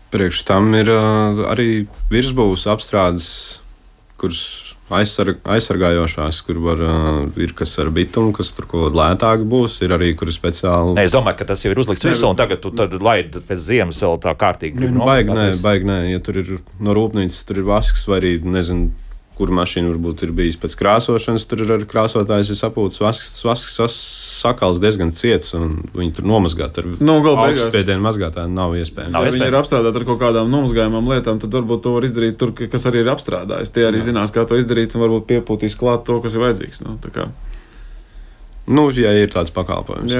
Priekš tam ir arī virsbūves apstrādes, kuras aizsargājošās, kur ir kas ar bitumu, kas tur ko lētāk būs, ir arī, kur speciāli. Es domāju, ka tas jau ir uzlikts virsū, un tagad tu laid pēc ziemas vēl tā kārtīgi. Baigi nē, ja tur ir no rūpnīcas, tur ir vasks vai arī, nezinu, kur mašīna varbūt ir bijis pēc krāsošanas, tur ir arī krāsotājs, ir sapūts vasks sakals diezgan ciets, un viņi tur nomazgāt ar augstspiedienu mazgātāju nav iespējams. Ja viņi ir apstrādāti ar kaut kādām nomazgājumām lietām, tad varbūt to var izdarīt tur, kas arī ir apstrādājis. Tie arī zinās, kā to izdarīt, un varbūt piepūtīs klāt to, kas ir vajadzīgs. Ja ir tāds pakalpojums.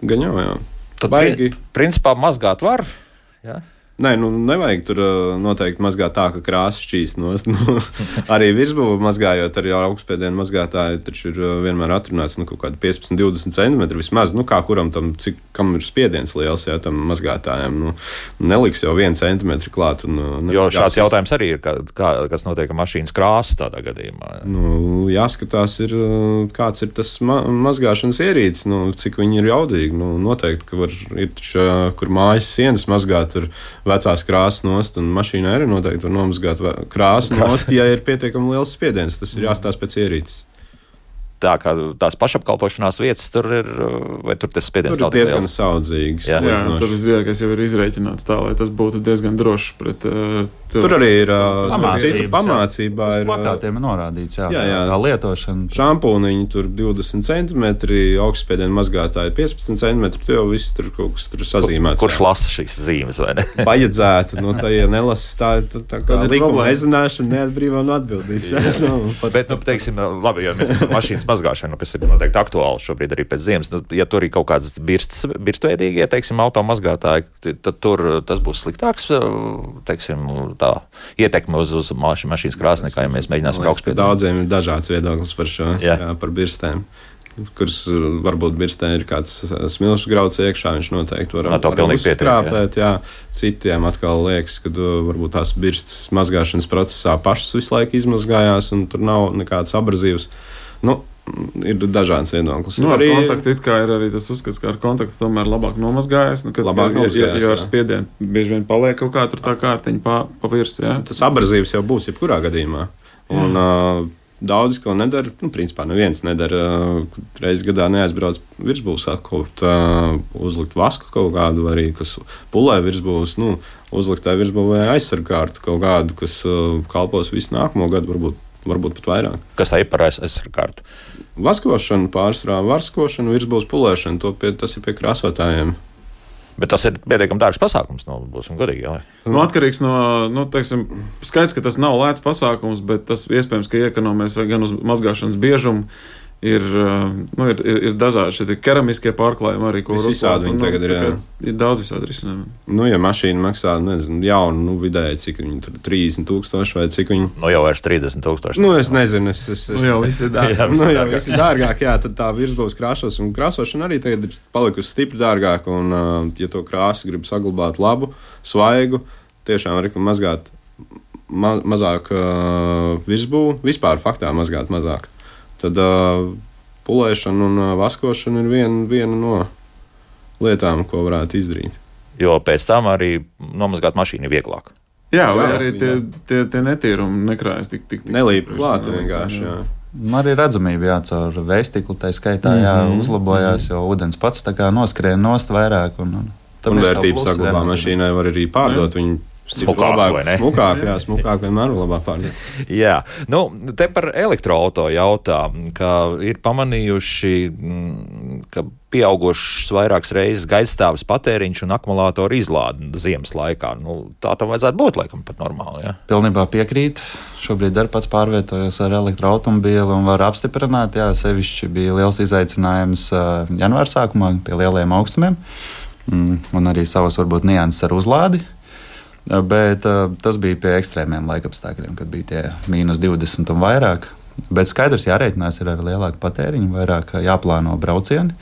Gan jau, jā. Tad principā mazgāt var, jā? Nē, nevajag tur noteikti mazgāt tā, ka krāsa šķīst nost. Arī virsbūve mazgājot ar augstspiedienu mazgātāju, taču ir vienmēr atrunāts kaut kādi 15-20 centimetri vismaz. Kā kuram tam, kam ir spiediens liels, jā, tam mazgātājiem. Neliks jau 1 centimetri klāt. Jo šāds jautājums arī ir, kas notiek ar mašīnas krāsu tādā gadījumā. Jāskatās, kāds ir tas mazgāšanas ierīcis, cik viņi ir jaudīgi. Noteikti, ka ir taču, kur mājas sienas mazgāt ar vecās krāsas nost, un mašīnā arī noteikti var nomazgāt krāsu nost, ja ir pietiekami liels spiediens. Tas ir jāstāsta pēc ierīces. Tā kā tās pašapkalpošanās vietas tur ir, vai tur tas spiediens nav diezgan saudzīgs. Jā, tur visdrīzākais jau ir izreikināts tā, lai tas būtu diezgan drošs pret cilvēku. Tur arī ir pamācībā. Uz plakātiem ir norādīts, kā lietošana. Šampūniņi tur 20 centimetri, augstspiedienu mazgātāji 15 centimetri, tu jau viss tur kaut kas tur sazīmēts. Kurš lasa šīs zīmes, vai ne? Vajadzētu, tā ja nelasa, tā kā likuma nezināšana neatbrīvā no atbildības. Bet, teiksim, labi, ja mēs mašīnas mazgāšanu, kas ir noteikti aktuāli šobrīd arī pēc ziemas. Ja tur ir kaut kādas birstveidīgie, teiksim, automazgātāji, tad tur tas būs sliktāks, teiksim, tā ietekme uz mašīnas krāsu, nekā ja mēs mēģināsim augstspiedienu. Daudziem ir dažāds viedoklis par šo, par birstēm, kuras varbūt birstē ir kāds smilšu grauds iekšā, viņš noteikti var uzskrāpēt, citiem atkal liekas, ka varbūt tās birstas mazgāšanas procesā pašas visu laiku izmazgājās un tur nav nekāds abrazīvs. ir dažāds viedoklis. Ar kontaktu it kā ir arī tas uzskats, ka ar kontaktu tomēr labāk nomazgājas. Jo ar spiedienu bieži vien paliek kaut kā tur tā kārtiņa pa virsmu. Tas abrazīvs jau būs jebkurā gadījumā. Un daudzi, ko nedara, principā neviens nedara. Reizes gadā neaizbrauc virsbūvs atkopt, uzlikt vasku kaut kādu, arī kas pulē virsbūvs, uzlikt tā virsbūvē aizsargkārtu kaut kādu, kas kalpos visu nākamo gadu, varbūt pat vairāk. Kas tā ir par aizsargkārtu? Vaskošana pārsvarā, varskošana, virsbūvs pulēšana, tas ir pie krāsotājiem. Bet tas ir pietiekami dārgs pasākums, būsim godīgi. Atkarīgs no, teiksim, skaidrs, ka tas nav lēts pasākums, bet tas iespējams, ka iekonomēs gan uz mazgāšanas biežumu. Ir dažādi šie keramiskie pārklājumi arī, ko var uzlāt. Ir daudz visādi risinājumi. Ja mašīna maksā, jaunu, vidēji, cik viņi tur 30,000 vai cik viņi... Jau vairs 30,000. Es nezinu, jau viss ir dārgāk. Jau viss ir dārgāk, jā, tad tā virsbūvs krāšos un krāsošana arī tagad ir palikusi stipri dārgāk, un, ja to krāsu grib saglabāt labu, svaigu, tiešām var mazgāt mazāk virsbūvu, vispār faktā mazgāt mazāk. Tad pulēšana un vaskošana ir viena no lietām, ko varētu izdarīt. Jo pēc tam arī nomazgāt mašīnu ir vieglāk. Jā, vai arī tie netīrumi nekrājas tik nelīp klāt vienkārši, jā. Arī redzamība caur vējstiklu, tā skaitā uzlabojās, jo ūdens pats tā kā noskrien nost vairāk. Un vērtības saglabā mašīnai var arī pārdot viņu. Smukāk vienmēr ir labāk pārdot. Jā, te par elektroauto jautā, ka ir pamanījuši, ka pieaugušas vairākas reizes gaidastāvs patēriņš un akumulātoru izlāde ziemas laikā. Tā tam vajadzētu būt, laikam, pat normāli. Ja? Pilnībā piekrīt. Šobrīd arī pats pārvietojos ar elektroautomobīli un var apstiprināt, sevišķi bija liels izaicinājums janvāra sākumā pie lieliem augstumiem un arī savas varbūt nianses ar uzlādi. Bet tas bija pie ekstrēmiem laikapstākļiem, kad bija tie -20 un vairāk. Bet skaidrs, jārēķinās ir ar lielāku patēriņu, vairāk jāplāno braucieni,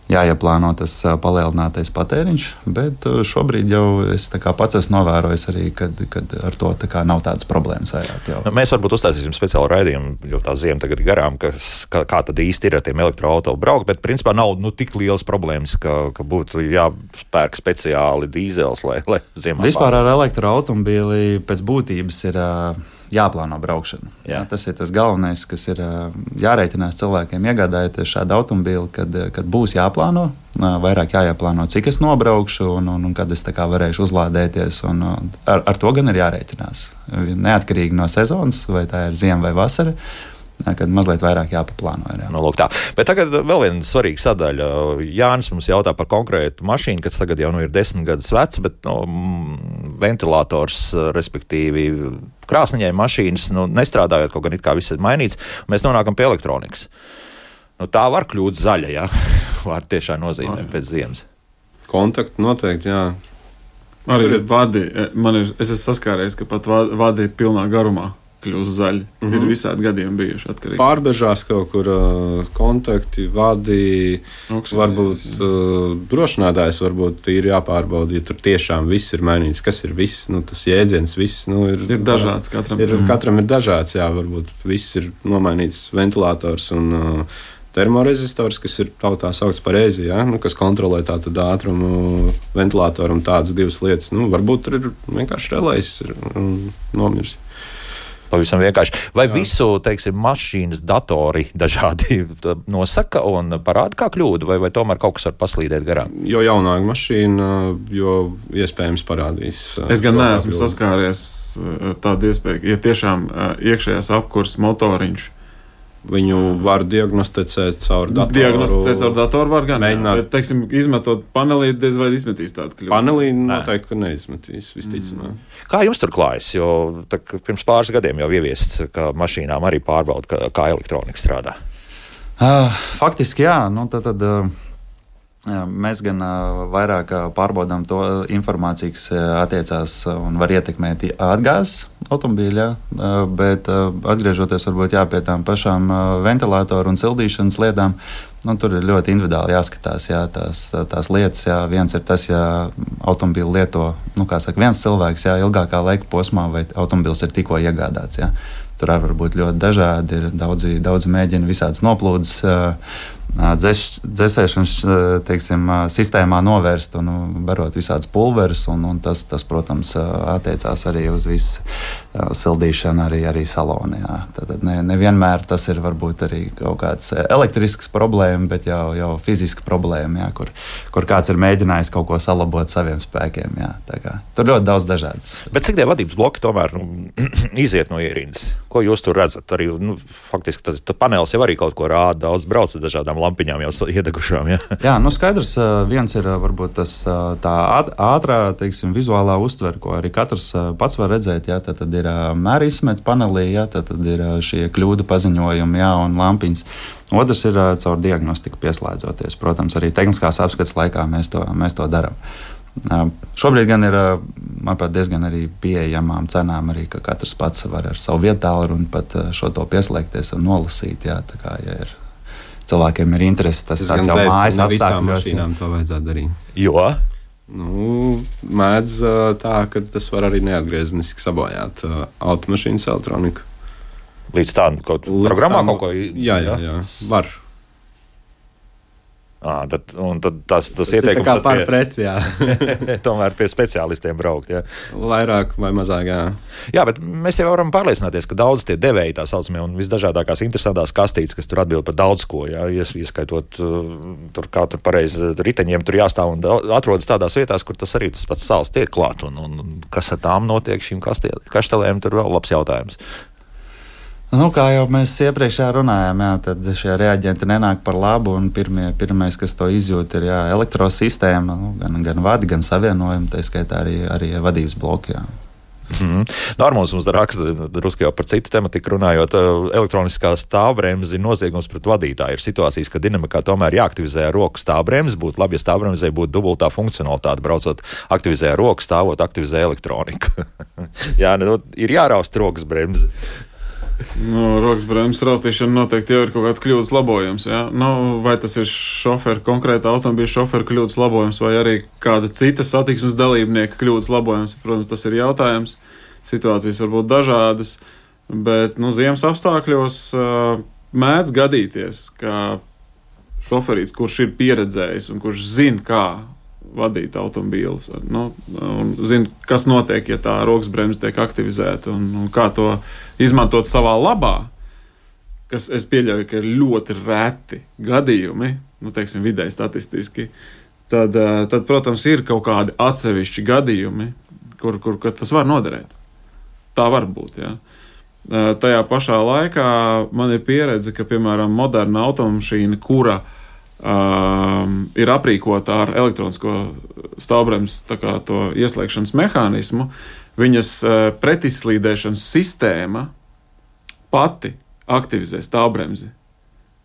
jāieplāno tas palielinātais patēriņš. Bet šobrīd jau es pats esmu novērojis arī, kad ar to nav tādas problēmas vairāk. Mēs varbūt uztaisīsim speciālu raidījumu, jo tā ziema tagad ir garām, kā tad īsti ir ar tiem elektroauto braukt, bet principā nav tik lielas problēmas, ka būtu jāspērk speciāli dīzels, lai ziemā. Vispār ar elektroautomobīli pēc būtības ir jāplāno braukšana. Jā. Tas ir tas galvenais, kas ir jārēķinās cilvēkiem, iegādājoties šādu automobīli, kad būs jāplāno, vairāk jāplāno, cik es nobraukšu un kad es varēšu uzlādēties. Ar to gan ir jārēķinās. Neatkarīgi no sezonas, vai tā ir ziema vai vasara, kad mazliet vairāk jāpaplāno. Jā. Bet tagad vēl viena svarīga sadaļa. Jānis mums jautā par konkrētu mašīnu, kas tagad jau ir 10 gadus vecs, bet ventilators, respektīvi krāsniņai mašīnas, nestrādājot, kaut gan it kā viss ir mainīts, mēs nonākam pie elektronikas. Tā var kļūt zaļa, jā. Var tiešām nozīmē pēc ziemas. Kontakti noteikti, jā. Arī vadi, es esmu saskāries, ka pat vadi pilnā garumā kļūst zaļi. Ir visādi gadījumi bijuši atkarīgi. Pārbežās kaut kur kontakti, vadi, varbūt drošinātājs varbūt ir jāpārbauda, ja tur tiešām viss ir mainīts. Kas ir viss? Tas jēdziens viss ir dažāds katram. Katram ir dažāds, jā, varbūt viss ir nomainīts ventilators un termorezistors, kas ir tautā saukts par EZI, kas kontrolē tātad ātrumu ventilatoru un tādas divas lietas. Varbūt tur ir vienkārši relējs nomirs. Pavisam vienkārši. Vai visu, mašīnas datori dažādi nosaka un parāda kā kļūdu, vai tomēr kaut kas var paslīdēt garām? Jo jaunāka mašīna, jo iespējams parādīs. Es gan neesmu saskāries tādu iespēju, ja tiešām iekšējās apkurs motoriņš. Viņu var diagnosticēt caur datoru. Diagnosticēt caur datoru var gan. Bet, izmetot panelī, diez vai izmetīs tādu kļūdu. Panelī noteikti, ka neizmetīs, visticamāk. Kā jums tur klājas? Jo pirms pāris gadiem jau ieviests, ka mašīnām arī pārbauda, kā elektronika strādā. Faktiski, jā. Mēs gan vairāk pārbaudām to informāciju, kas attiecās un var ietekmēt atgāzes automobīļā, bet atgriežoties varbūt pie tām pašām ventilatoru un sildīšanas lietām, tur ir ļoti individuāli jāskatās tās lietas. Viens ir tas, ja automobīlu lieto viens cilvēks ilgākā laika posmā, vai automobīls ir tikko iegādāts. tur arī var būt ļoti dažādi. Ir daudzi mēģina visādas noplūdes dzēsēšanas sistēmā novērst un barot visādas pulverus, un tas, protams, attiecās arī uz visu sildīšanu arī salonā. Tad nevienmēr tas ir varbūt arī kaut kāds elektrisks problēma, bet jau fiziska problēma, kur kāds ir mēģinājis kaut ko salabot saviem spēkiem. Jā. Tur ļoti daudz dažādas. Bet cik tie vadības bloki tomēr iziet no ierindas? Ko jūs tur redzat? Arī, faktiski tas panelis jau arī kaut ko rāda, daudz brauc ar dažādām lampiņām jau iedegušām. Jā, skaidrs, viens ir varbūt tas tā ātrā, vizuālā uztvere, ko arī katrs pats var redzēt. Jā, tad ir mēra izmeta panelī, jā, tad ir šie kļūdu paziņojumi, jā, un lampiņas. Otrs ir caur diagnostiku pieslēdzoties. Protams, arī tehniskās apskates laikā mēs to darām. Šobrīd gan ir, manuprāt, diezgan arī pieejamām cenām, arī, ka katrs pats var ar savu vietālu un pat šo to pieslēgties un nolasīt. Jā, tā kā, ja ir cilvēkiem ir interesi, tas tāds jau mājas apstākļos. Visām mašīnām to vajadzētu darīt. Jo? Mēdz tā, ka tas var arī neatgriezeniski sabojāt automašīnas elektroniku. Līdz tā kaut programmā kaut ko? Jā, var. Tad tas ieteikums ir par pret, jā. Tomēr pie speciālistiem braukt, jā. Vairāk vai mazāk, jā. Jā, bet mēs jau varam pārliecināties, ka daudz tie devēji tā saucamie un visdažādākās interesantās kastītes, kas tur atbild par daudz ko, jā, ieskaitot tur kā tur pareizi riteņiem tur jāstāv un atrodas tādās vietās, kur tas arī tas pats sāls tiek klāt un kas ar tām notiek šīm kaštelēm, tur vēl labs jautājums. Kā jau mēs iepriekš runājām, jā, tad šie reaģenti nenāk par labu. Pirmais, kas to izjūt, ir elektrosistēma, gan vadi, gan savienojumi, tā skaitā arī vadības bloki. Normāls mums raksta, drusku jau par citu tematiku runājot, elektroniskā stāvbremze ir noziegums pret vadītāju. Ir situācijas, ka dinamikā tomēr jāaktivizē roku stāvbremze. Būtu labi, ja stāvbremzē būtu dubultā funkcionalitāte. Braucot, aktivizē roku, stāvot, aktivizē elektroniku. Jā, ir jāraust rokas bremze. Rokas bremzes raustīšana noteikti jau ir kaut kāds kļūdas labojums. Ja? Vai tas ir konkrēta automobīļa šofera kļūdas labojums, vai arī kāda cita satiksmes dalībnieka kļūdas labojums? Protams, tas ir jautājums. Situācijas var būt dažādas, bet ziemas apstākļos mēdz gadīties, ka šoferīts, kurš ir pieredzējis un kurš zina, kā vadīt automobīlus, un zina, kas notiek, ja tā rokas bremze tiek aktivizēta un kā to izmantot savā labā, kas es pieļauju, ka ir ļoti reti gadījumi, vidēji statistiski, tad, protams, ir kaut kādi atsevišķi gadījumi, kur tas var noderēt. Tā var būt, jā. Tajā pašā laikā man ir pieredze, ka, piemēram, moderna automašīna, kura ir aprīkota ar elektronisko stāvbremzes to ieslēgšanas mehānismu, viņas pretizslīdēšanas sistēma pati aktivizē stāvbremzi.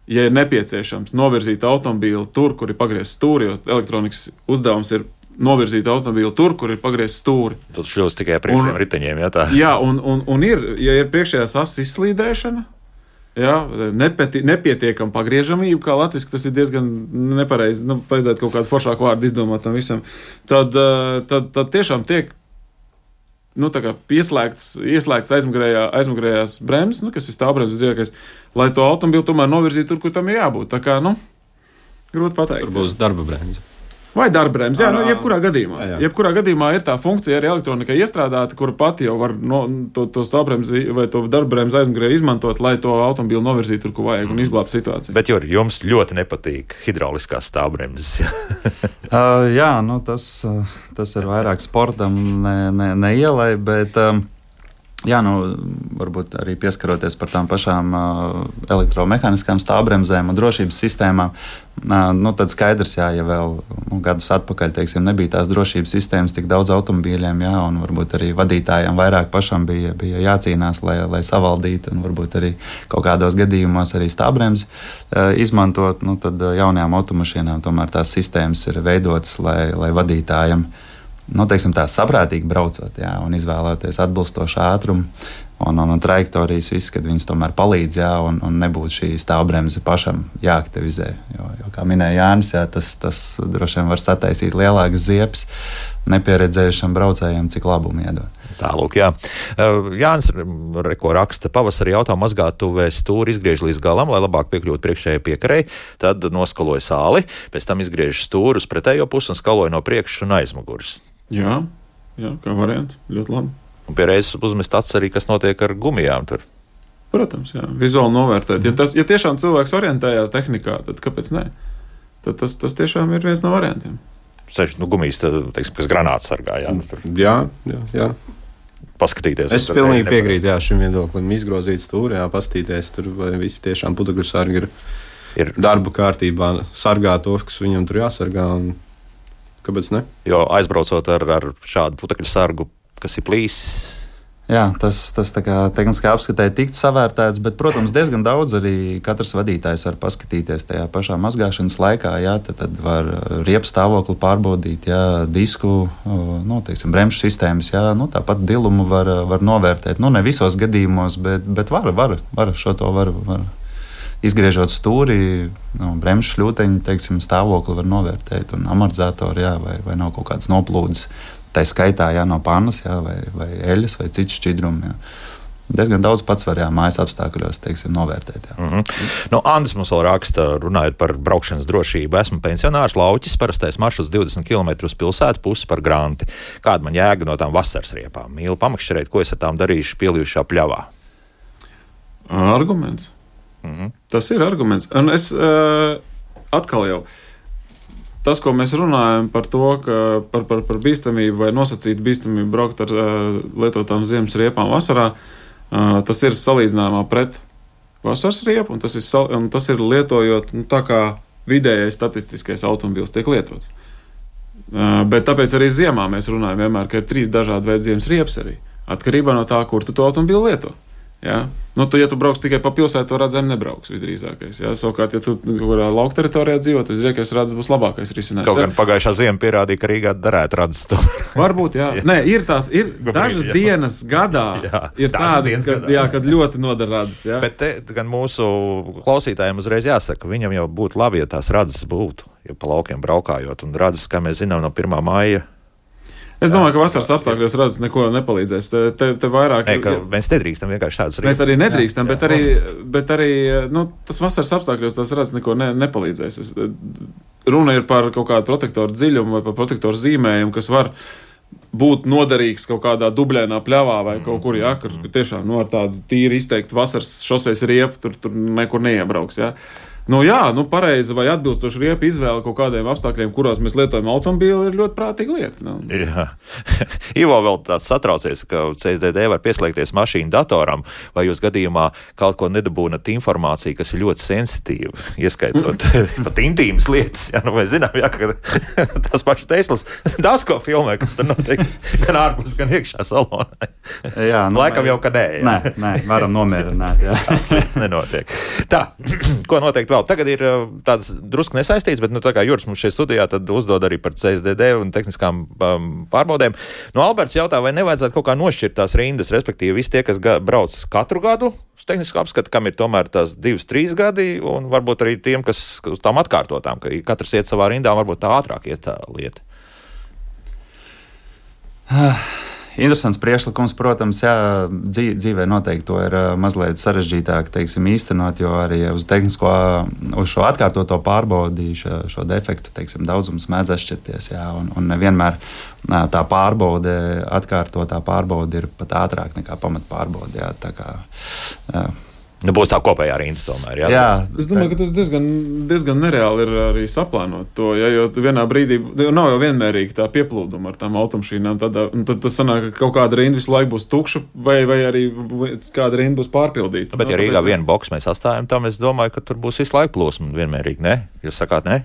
Ja ir nepieciešams novirzīt automobīli tur, kur ir pagriezts stūri, jo elektronikas uzdevums ir novirzīt automobīli tur, kur ir pagriezts stūri. Tad šļūst tikai priekšējiem riteņiem, jā tā? Jā, un ir, ja ir priekšējās asas izslīdēšana, jā, nepietiekama pagriežamība, kā latviski, tas ir diezgan nepareizi. Vajadzētu kaut kādu foršāku vārdu izdomāt tam visam. Tad tiešām tiek ieslēgts aizmugurējās bremzes, kas ir stāvbremzes drīzākais, lai to automobili tomēr novirzītu tur, kur tam ir jābūt. Tā kā, grūti pateikt. Tur būs darba bremze. Vai darba bremze, jebkurā gadījumā. Jā. Jebkurā gadījumā ir tā funkcija arī elektronikai iestrādāta, kura pati jau var to stāvbremzi vai to darba bremzi aizmugurē izmantot, lai to automobīlu novirzītu tur, kur vajag un izglābt situāciju. Bet jums ļoti nepatīk hidrauliskās stāvbremzes. Jā, tas ir vairāk sportam, ne ielai, bet jā, varbūt arī pieskaroties par tām pašām elektromehāniskām stāvbremzēm un drošības sistēmām, tad skaidrs, jā, ja vēl gadus atpakaļ, nebija tās drošības sistēmas tik daudz automobīļiem, jā, un varbūt arī vadītājiem vairāk pašam bija jācīnās, lai savaldītu, un varbūt arī kaut kādos gadījumos arī stāvbremzi izmantot, tad jaunajām automašīnām tomēr tās sistēmas ir veidotas, lai vadītājiem saprātīgi braucot, jā, un izvēlēties atbilstošu ātrumu, un trajektorijas viss, kad viņas tomēr palīdz, jā, un nebūtu šī stāvbremze pašam jāaktivizē. Jo kā minēja Jānis, jā, tas droši vien var sataisīt lielākas ziepes nepieredzējušam braucējiem, cik labumu iedod. Tālūk, jā. Jānis Reko raksta, pavasarī auto mazgātuvē stūri izgriež līdz galam, lai labāk piekļūtu priekšējai piekarei, tad noskaloja sāli, pēc tam izgriež stūri uz pretējo pusi un skaloja no priekšas un aizmugures. Jā, kā variants, ļoti labi. Un pie reizes uzmest acis arī, kas notiek ar gumijām tur. Protams, jā, vizuāli novērtēt. Ja tiešām cilvēks orientējās tehnikā, tad kāpēc ne? Tad tas tiešām ir viens no variantiem. Gumijas, teiksim, kas granāts sargā, jā. Jā. Paskatīties. Es pilnīgi piekrītu šim viedoklim. Izgrozīt stūri, paskatīties tur, vai visi tiešām putekļu sargi ir darba kārtībā, sargā tos, kas viņam tur jāsargā. Kāpēc ne? Jo aizbraucot ar šādu putekļu sargu, kas ir plīsis. Jā, tas tā kā tehniskā apskatē tiktu savērtēts, bet, protams, diezgan daudz arī katrs vadītājs var paskatīties tajā pašā mazgāšanas laikā. Jā, tad var riepu stāvokli pārbaudīt, jā, disku, bremžu sistēmas, jā, tāpat dilumu var novērtēt. Ne visos gadījumos, bet var šo to var izgriežot stūri, bremžu šļūteņu, teiksim, stāvokli var novērtēt un amortizatoru, jā, vai nav kaut kāds noplūdes. Tā skaitā no pannas, jā, vai eļas, vai citu šķidrumu. Diezgan daudz pats var mājas apstākļos, teiksim, novērtēt. Andris mums vēl raksta, runājot par braukšanas drošību. Esmu pensionārs, lauķis, parastais maršruts 20 km uz pilsētu, pusi par granti. Kāda man jēga no tām vasaras riepām? Mīlu pamakšķerēt, ko es ar tām darīšu pielījušā pļavā? Arguments. Tas ir arguments. Un es atkal jau. Tas, ko mēs runājam par to, ka par bīstamību vai nosacītu bīstamību braukt ar lietotām ziemas riepām vasarā, tas ir salīdzināmā pret vasaras riepu, un tas ir lietojot tā kā vidējais statistiskais automobils tiek lietots. Bet tāpēc arī ziemā mēs runājam vienmēr, ka ir 3 dažādi veidi ziemas riepas arī, atkarībā no tā, kur tu to automobili lieto. Ja? Ja tu brauks tikai pa pilsētu, to redzēm nebrauks visdrīzākais. Ja? Savukārt, ja tu kurā lauka teritorijā dzīvo, tad visdrīzākais redzes būs labākais risinājums. Kaut gan pagājušā ziema pierādīja, ka Rīgā derētu redzes to. Varbūt, jā. Nē, ir dažas dienas gadā, ir tādas, kad ļoti nodara redzes. Ja? Bet te gan mūsu klausītājiem uzreiz jāsaka, viņam jau būtu labi, ja tās redzes būtu, ja pa laukiem braukājot, un redzes, kā mēs zinām, no 1. maija. Es domāju, ka vasaras apstākļos redzes neko nepalīdzēs. Te vairāk mēs nedrīkstam vienkārši tādas rīcības. Mēs arī nedrīkstam, bet arī tas vasaras apstākļos tās redzes neko nepalīdzēs. Runa ir par kaut kādu protektoru dziļumu vai par protektoru zīmējumu, kas var būt noderīgs kaut kādā dubļainā pļavā vai kaut kur, kur tiešām ar tādu tīri izteiktu vasaras šoseis riepu tur nekur neiebrauks. Ja? Pareizi vai atbilstoši riepa izvēle kaut kādiem apstākļiem, kuros mēs lietojam automobīli, ir ļoti prātīga lieta. Jā. Ivo vēl tāds satraucies, ka CSDD var pieslēgties mašīnu datoram, vai jūs gadījumā kaut ko nedabūnat informāciju, kas ir ļoti sensitīva, ieskaitot pat intīmas lietas. Jā, vai zinām, ka tās pašas Teslas daudz ko filmē, kas tur notiek gan ārpus, gan iekšā salonā. Jā, laikam jau, ka nē. Nē, varam nomierināt. Tās lietas nenotiek. Tā, ko noteikti vēl? Tagad ir tāds drusku nesaistīts, bet tā kā Juris mums šeit studijā tad uzdod arī par CSDD un tehniskām pārbaudēm. Alberts jautā, vai nevajadzētu kaut kā nošķirt tās rindas, respektīvi visi tie, kas brauc katru gadu uz tehnisku apskatu, kam ir tomēr tās 2-3 gadi, un varbūt arī tiem, kas uz tām atkārtotām, ka katrs iet savā rindā, varbūt tā ātrāk iet tā lieta. Interesants priekšlikums, protams, dzīvē noteikti to ir mazliet sarežģītāk, teiksim, īstenot, jo arī uz šo atkārtoto pārbaudi šo defektu, teiksim, daudzums mēdz atšķirties, un nevienmēr tā pārbaude, atkārtotā pārbaude ir pat ātrāk nekā pamatpārbaude, tā kā. Būs tā kopējā rinda tomēr. Jā, es domāju, ka tas diezgan nereāli ir arī saplānot to, jo vienā brīdī nav jau vienmērīgi tā pieplūduma ar tām automašīnām. Tad tas sanāk, ka kaut kāda rinda visu laiku būs tukša, vai arī kāda rinda būs pārpildīta. Bet ja Rīgā vienu boksu mēs atstājam tam, es domāju, ka tur būs visu laiku plūsma vienmērīgi, ne? Jūs sakāt, ne?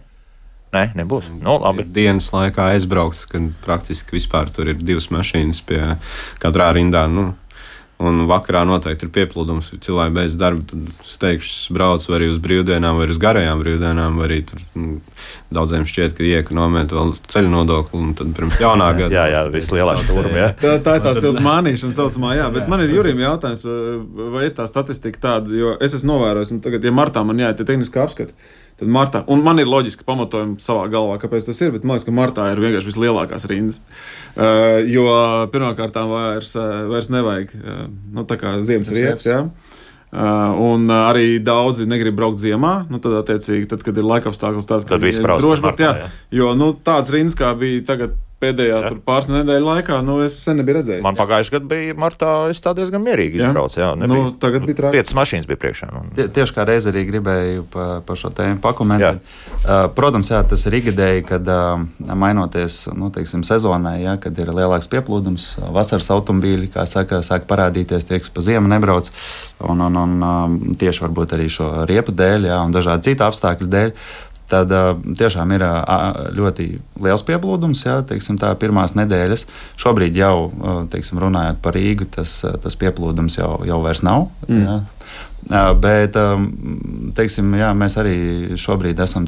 Nē, nebūs. Labi. Dienas laikā aizbraukts, kad praktiski vispār tur ir 2 mašīnas pie katrā rindā, Un vakarā noteikti ir pieplūdums, ja cilvēki beidz darbu, tad steigšs brauc vai arī uz brīvdienām, vai uz garajām brīvdienām, vai arī tur daudziem šķiet, ka iekonomēt vēl ceļu nodokli, un tad pirms jaunā gada. jā, vislielākā turma, jā. Tā ir tā sev mānīšana saucamā, jā, bet man ir Jurim jautājums, vai ir tā statistika tāda, jo es esmu novērojis, un tagad, ja martā man jāiet tehniski apskati, tad martā, un man ir loģiski pamatojumi savā galvā, kāpēc tas ir, bet man liekas, ka martā ir vienkārši vislielākās rindas, jo pirmkārtām vairs nevajag, tā kā ziemas riepas, jā. Un arī daudzi negrib braukt ziemā, tad attiecīgi, kad ir laikapstākļus tāds, ka viņi ir droši braukt, jā. Jo, tāds rindas, kā bija tagad pēdējā pāris nedēļu laikā, es sen nebiju redzējis. Man pagājuši gadu bija martā, es tā diezgan mierīgi izbraucu, jā. Tagad bija traki. 5 mašīnas bija priekšā. Tieši kā reiz arī gribēju par šo tēmu pakomentēt. Protams, jā, tas ir ikgadēji, kad mainoties, teiksim, sezonai, jā, kad ir lielāks pieplūdums, vasaras automobīļi, kā saka, sāk parādīties, tie, kas pa ziemu nebrauc, un tieši varbūt arī šo riepu dēļ, jā, un dažādi citi apstākļu dēļ. Tad tiešām ir ļoti liels pieplūdums, jā, teiksim, tā pirmās nedēļas. Šobrīd jau, teiksim, runājot par Rīgu, tas pieplūdums jau vairs nav. Jā. Bet, teiksim, jā, mēs arī šobrīd esam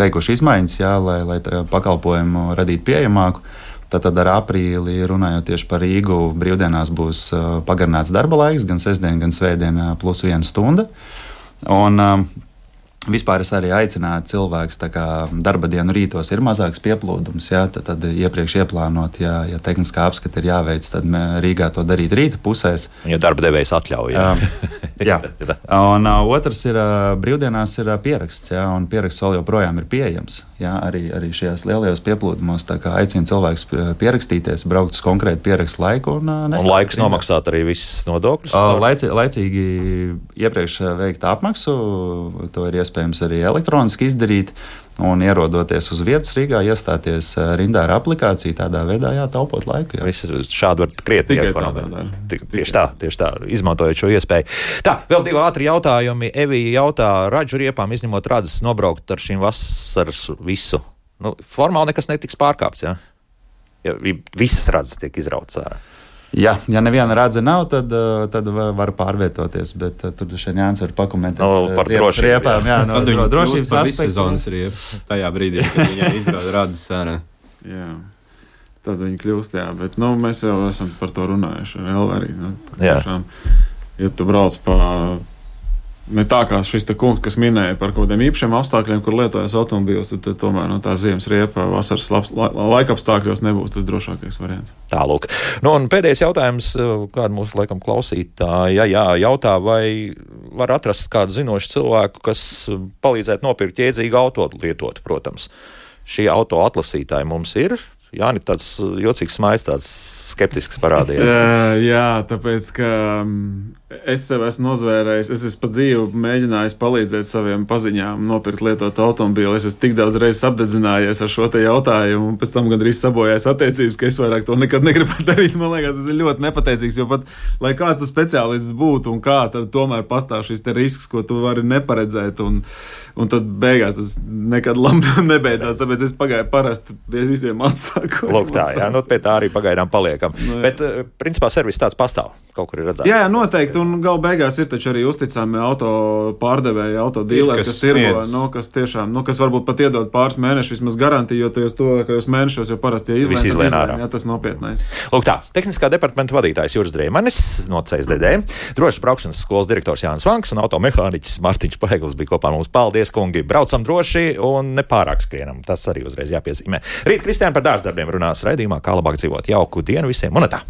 veikuši izmaiņas, jā, lai pakalpojumu radītu pieejamāku. Tad ar aprīli, runājot tieši par Rīgu, brīvdienās būs pagarināts darba laiks, gan sestdien, gan svētdien plus 1 stunda. Un vispār es arī aicinātu cilvēkus, darba dienu rītos ir mazāks pieplūdums, jā, tad iepriekš ieplānot, ja tehniskā apskata ir jāveic, tad Rīgā to darīt rīta pusēs. Ja darba devējs atļauj, jā. Jā. Un otrs ir brīvdienās ir pieraksts, jā, un pieraksts vēl joprojām ir pieejams, jā, arī šajās lielajos pieplūdumos, aicinu cilvēkus pierakstīties, braukt uz konkrētu pierakstu laiku. Un laiks nomaksāt arī visas nodokļus? Laicīgi iepriekš veikt apmaksu, to ir iespējams arī elektroniski izdarīt, un ierodoties uz vietas Rīgā, iestāties rindā ar aplikāciju, tādā veidā taupot laiku. Šādi var krietni ekonomēt. Tieši tā, izmantojot šo iespēju. Tā, vēl 2 ātri jautājumi. Evija jautā, radžu riepām izņemot radzes nobraukt ar šīm vasaras visu. Formāli nekas netiks pārkāpts, jā? Ja visas radzes tiek izrautas ārā. Ja neviena radze nav, tad var pārvietoties, bet tur šeit Jānis var pakomentēt par drošību. Riepām, jā, no drošības sezonas riepas tajā brīdī, kad viņai izrauda radzes ārā. Jā, tad viņi kļūst, jā, bet mēs jau esam par to runājuši ar Elvu arī. Tiešām, ja tu brauc ne tā kā šis te kungs, kas minēja par kaut kādiem īpašiem apstākļiem, kur lietojas automobīls, tad tomēr tā ziemas riepa vasaras laikapstākļos nebūs tas drošākais variants. Tālūk. Un pēdējais jautājums, kādu mūsu laikam klausītāji jautā, vai var atrast kādu zinošu cilvēku, kas palīdzētu nopirkt jēdzīgu auto lietot, protams. Šie auto atlasītāji mums ir. Jāni, tāds jocīgs smaids, tāds skeptisks parādījās. Jā, tāpēc, ka es sev esmu nozvērējis, es esmu pa dzīvi mēģinājis palīdzēt saviem paziņām nopirkt lietot automobīlu. Es esmu tik daudz reizes apdedzinājies ar šo te jautājumu, un pēc tam gandrīz sabojājis attiecības, ka es vairāk to nekad negribētu darīt. Man liekas, tas ir ļoti nepateicīgs, jo pat, lai kāds tas speciālists būtu un kā, tad tomēr pastāv šis te risks, ko tu vari neparedzēt, un tad beigās tas nekad labi nebeidzās, tāpēc es pagāju parasti pie visiem atsāku. Lūk tā, jā, pie tā arī pagaidām paliekam. Bet, principā, servis tāds pastāv, kaut kur ir redzēts. Jā, noteikti, un gal beigās ir taču arī uzticami auto pārdevēji, auto dīleri, kas tirgo, kas tiešām, kas varbūt pat iedod pāris mēnešus vismaz garantiju, jo tajos tuvākajos mēnešos jau parasti izlēn ārā. Jā, tas nopietnais. Lūk tā, tehniskā departamenta vadītājs Juris Dreimanis no CSDD, drošas braukšanas skolas direktors Jānis Vanks un automehāniķis Mārtiņš Paeglis bija kopā mums. Paldies, kungi! Braucam droši un nepārāk skrienam. Tas arī uzreiz jāpiezīmē. Rīt Kristiāna par dārzdarbiem runās raidījumā Kā labāk dzīvot. Jauku dienu visiem un tā!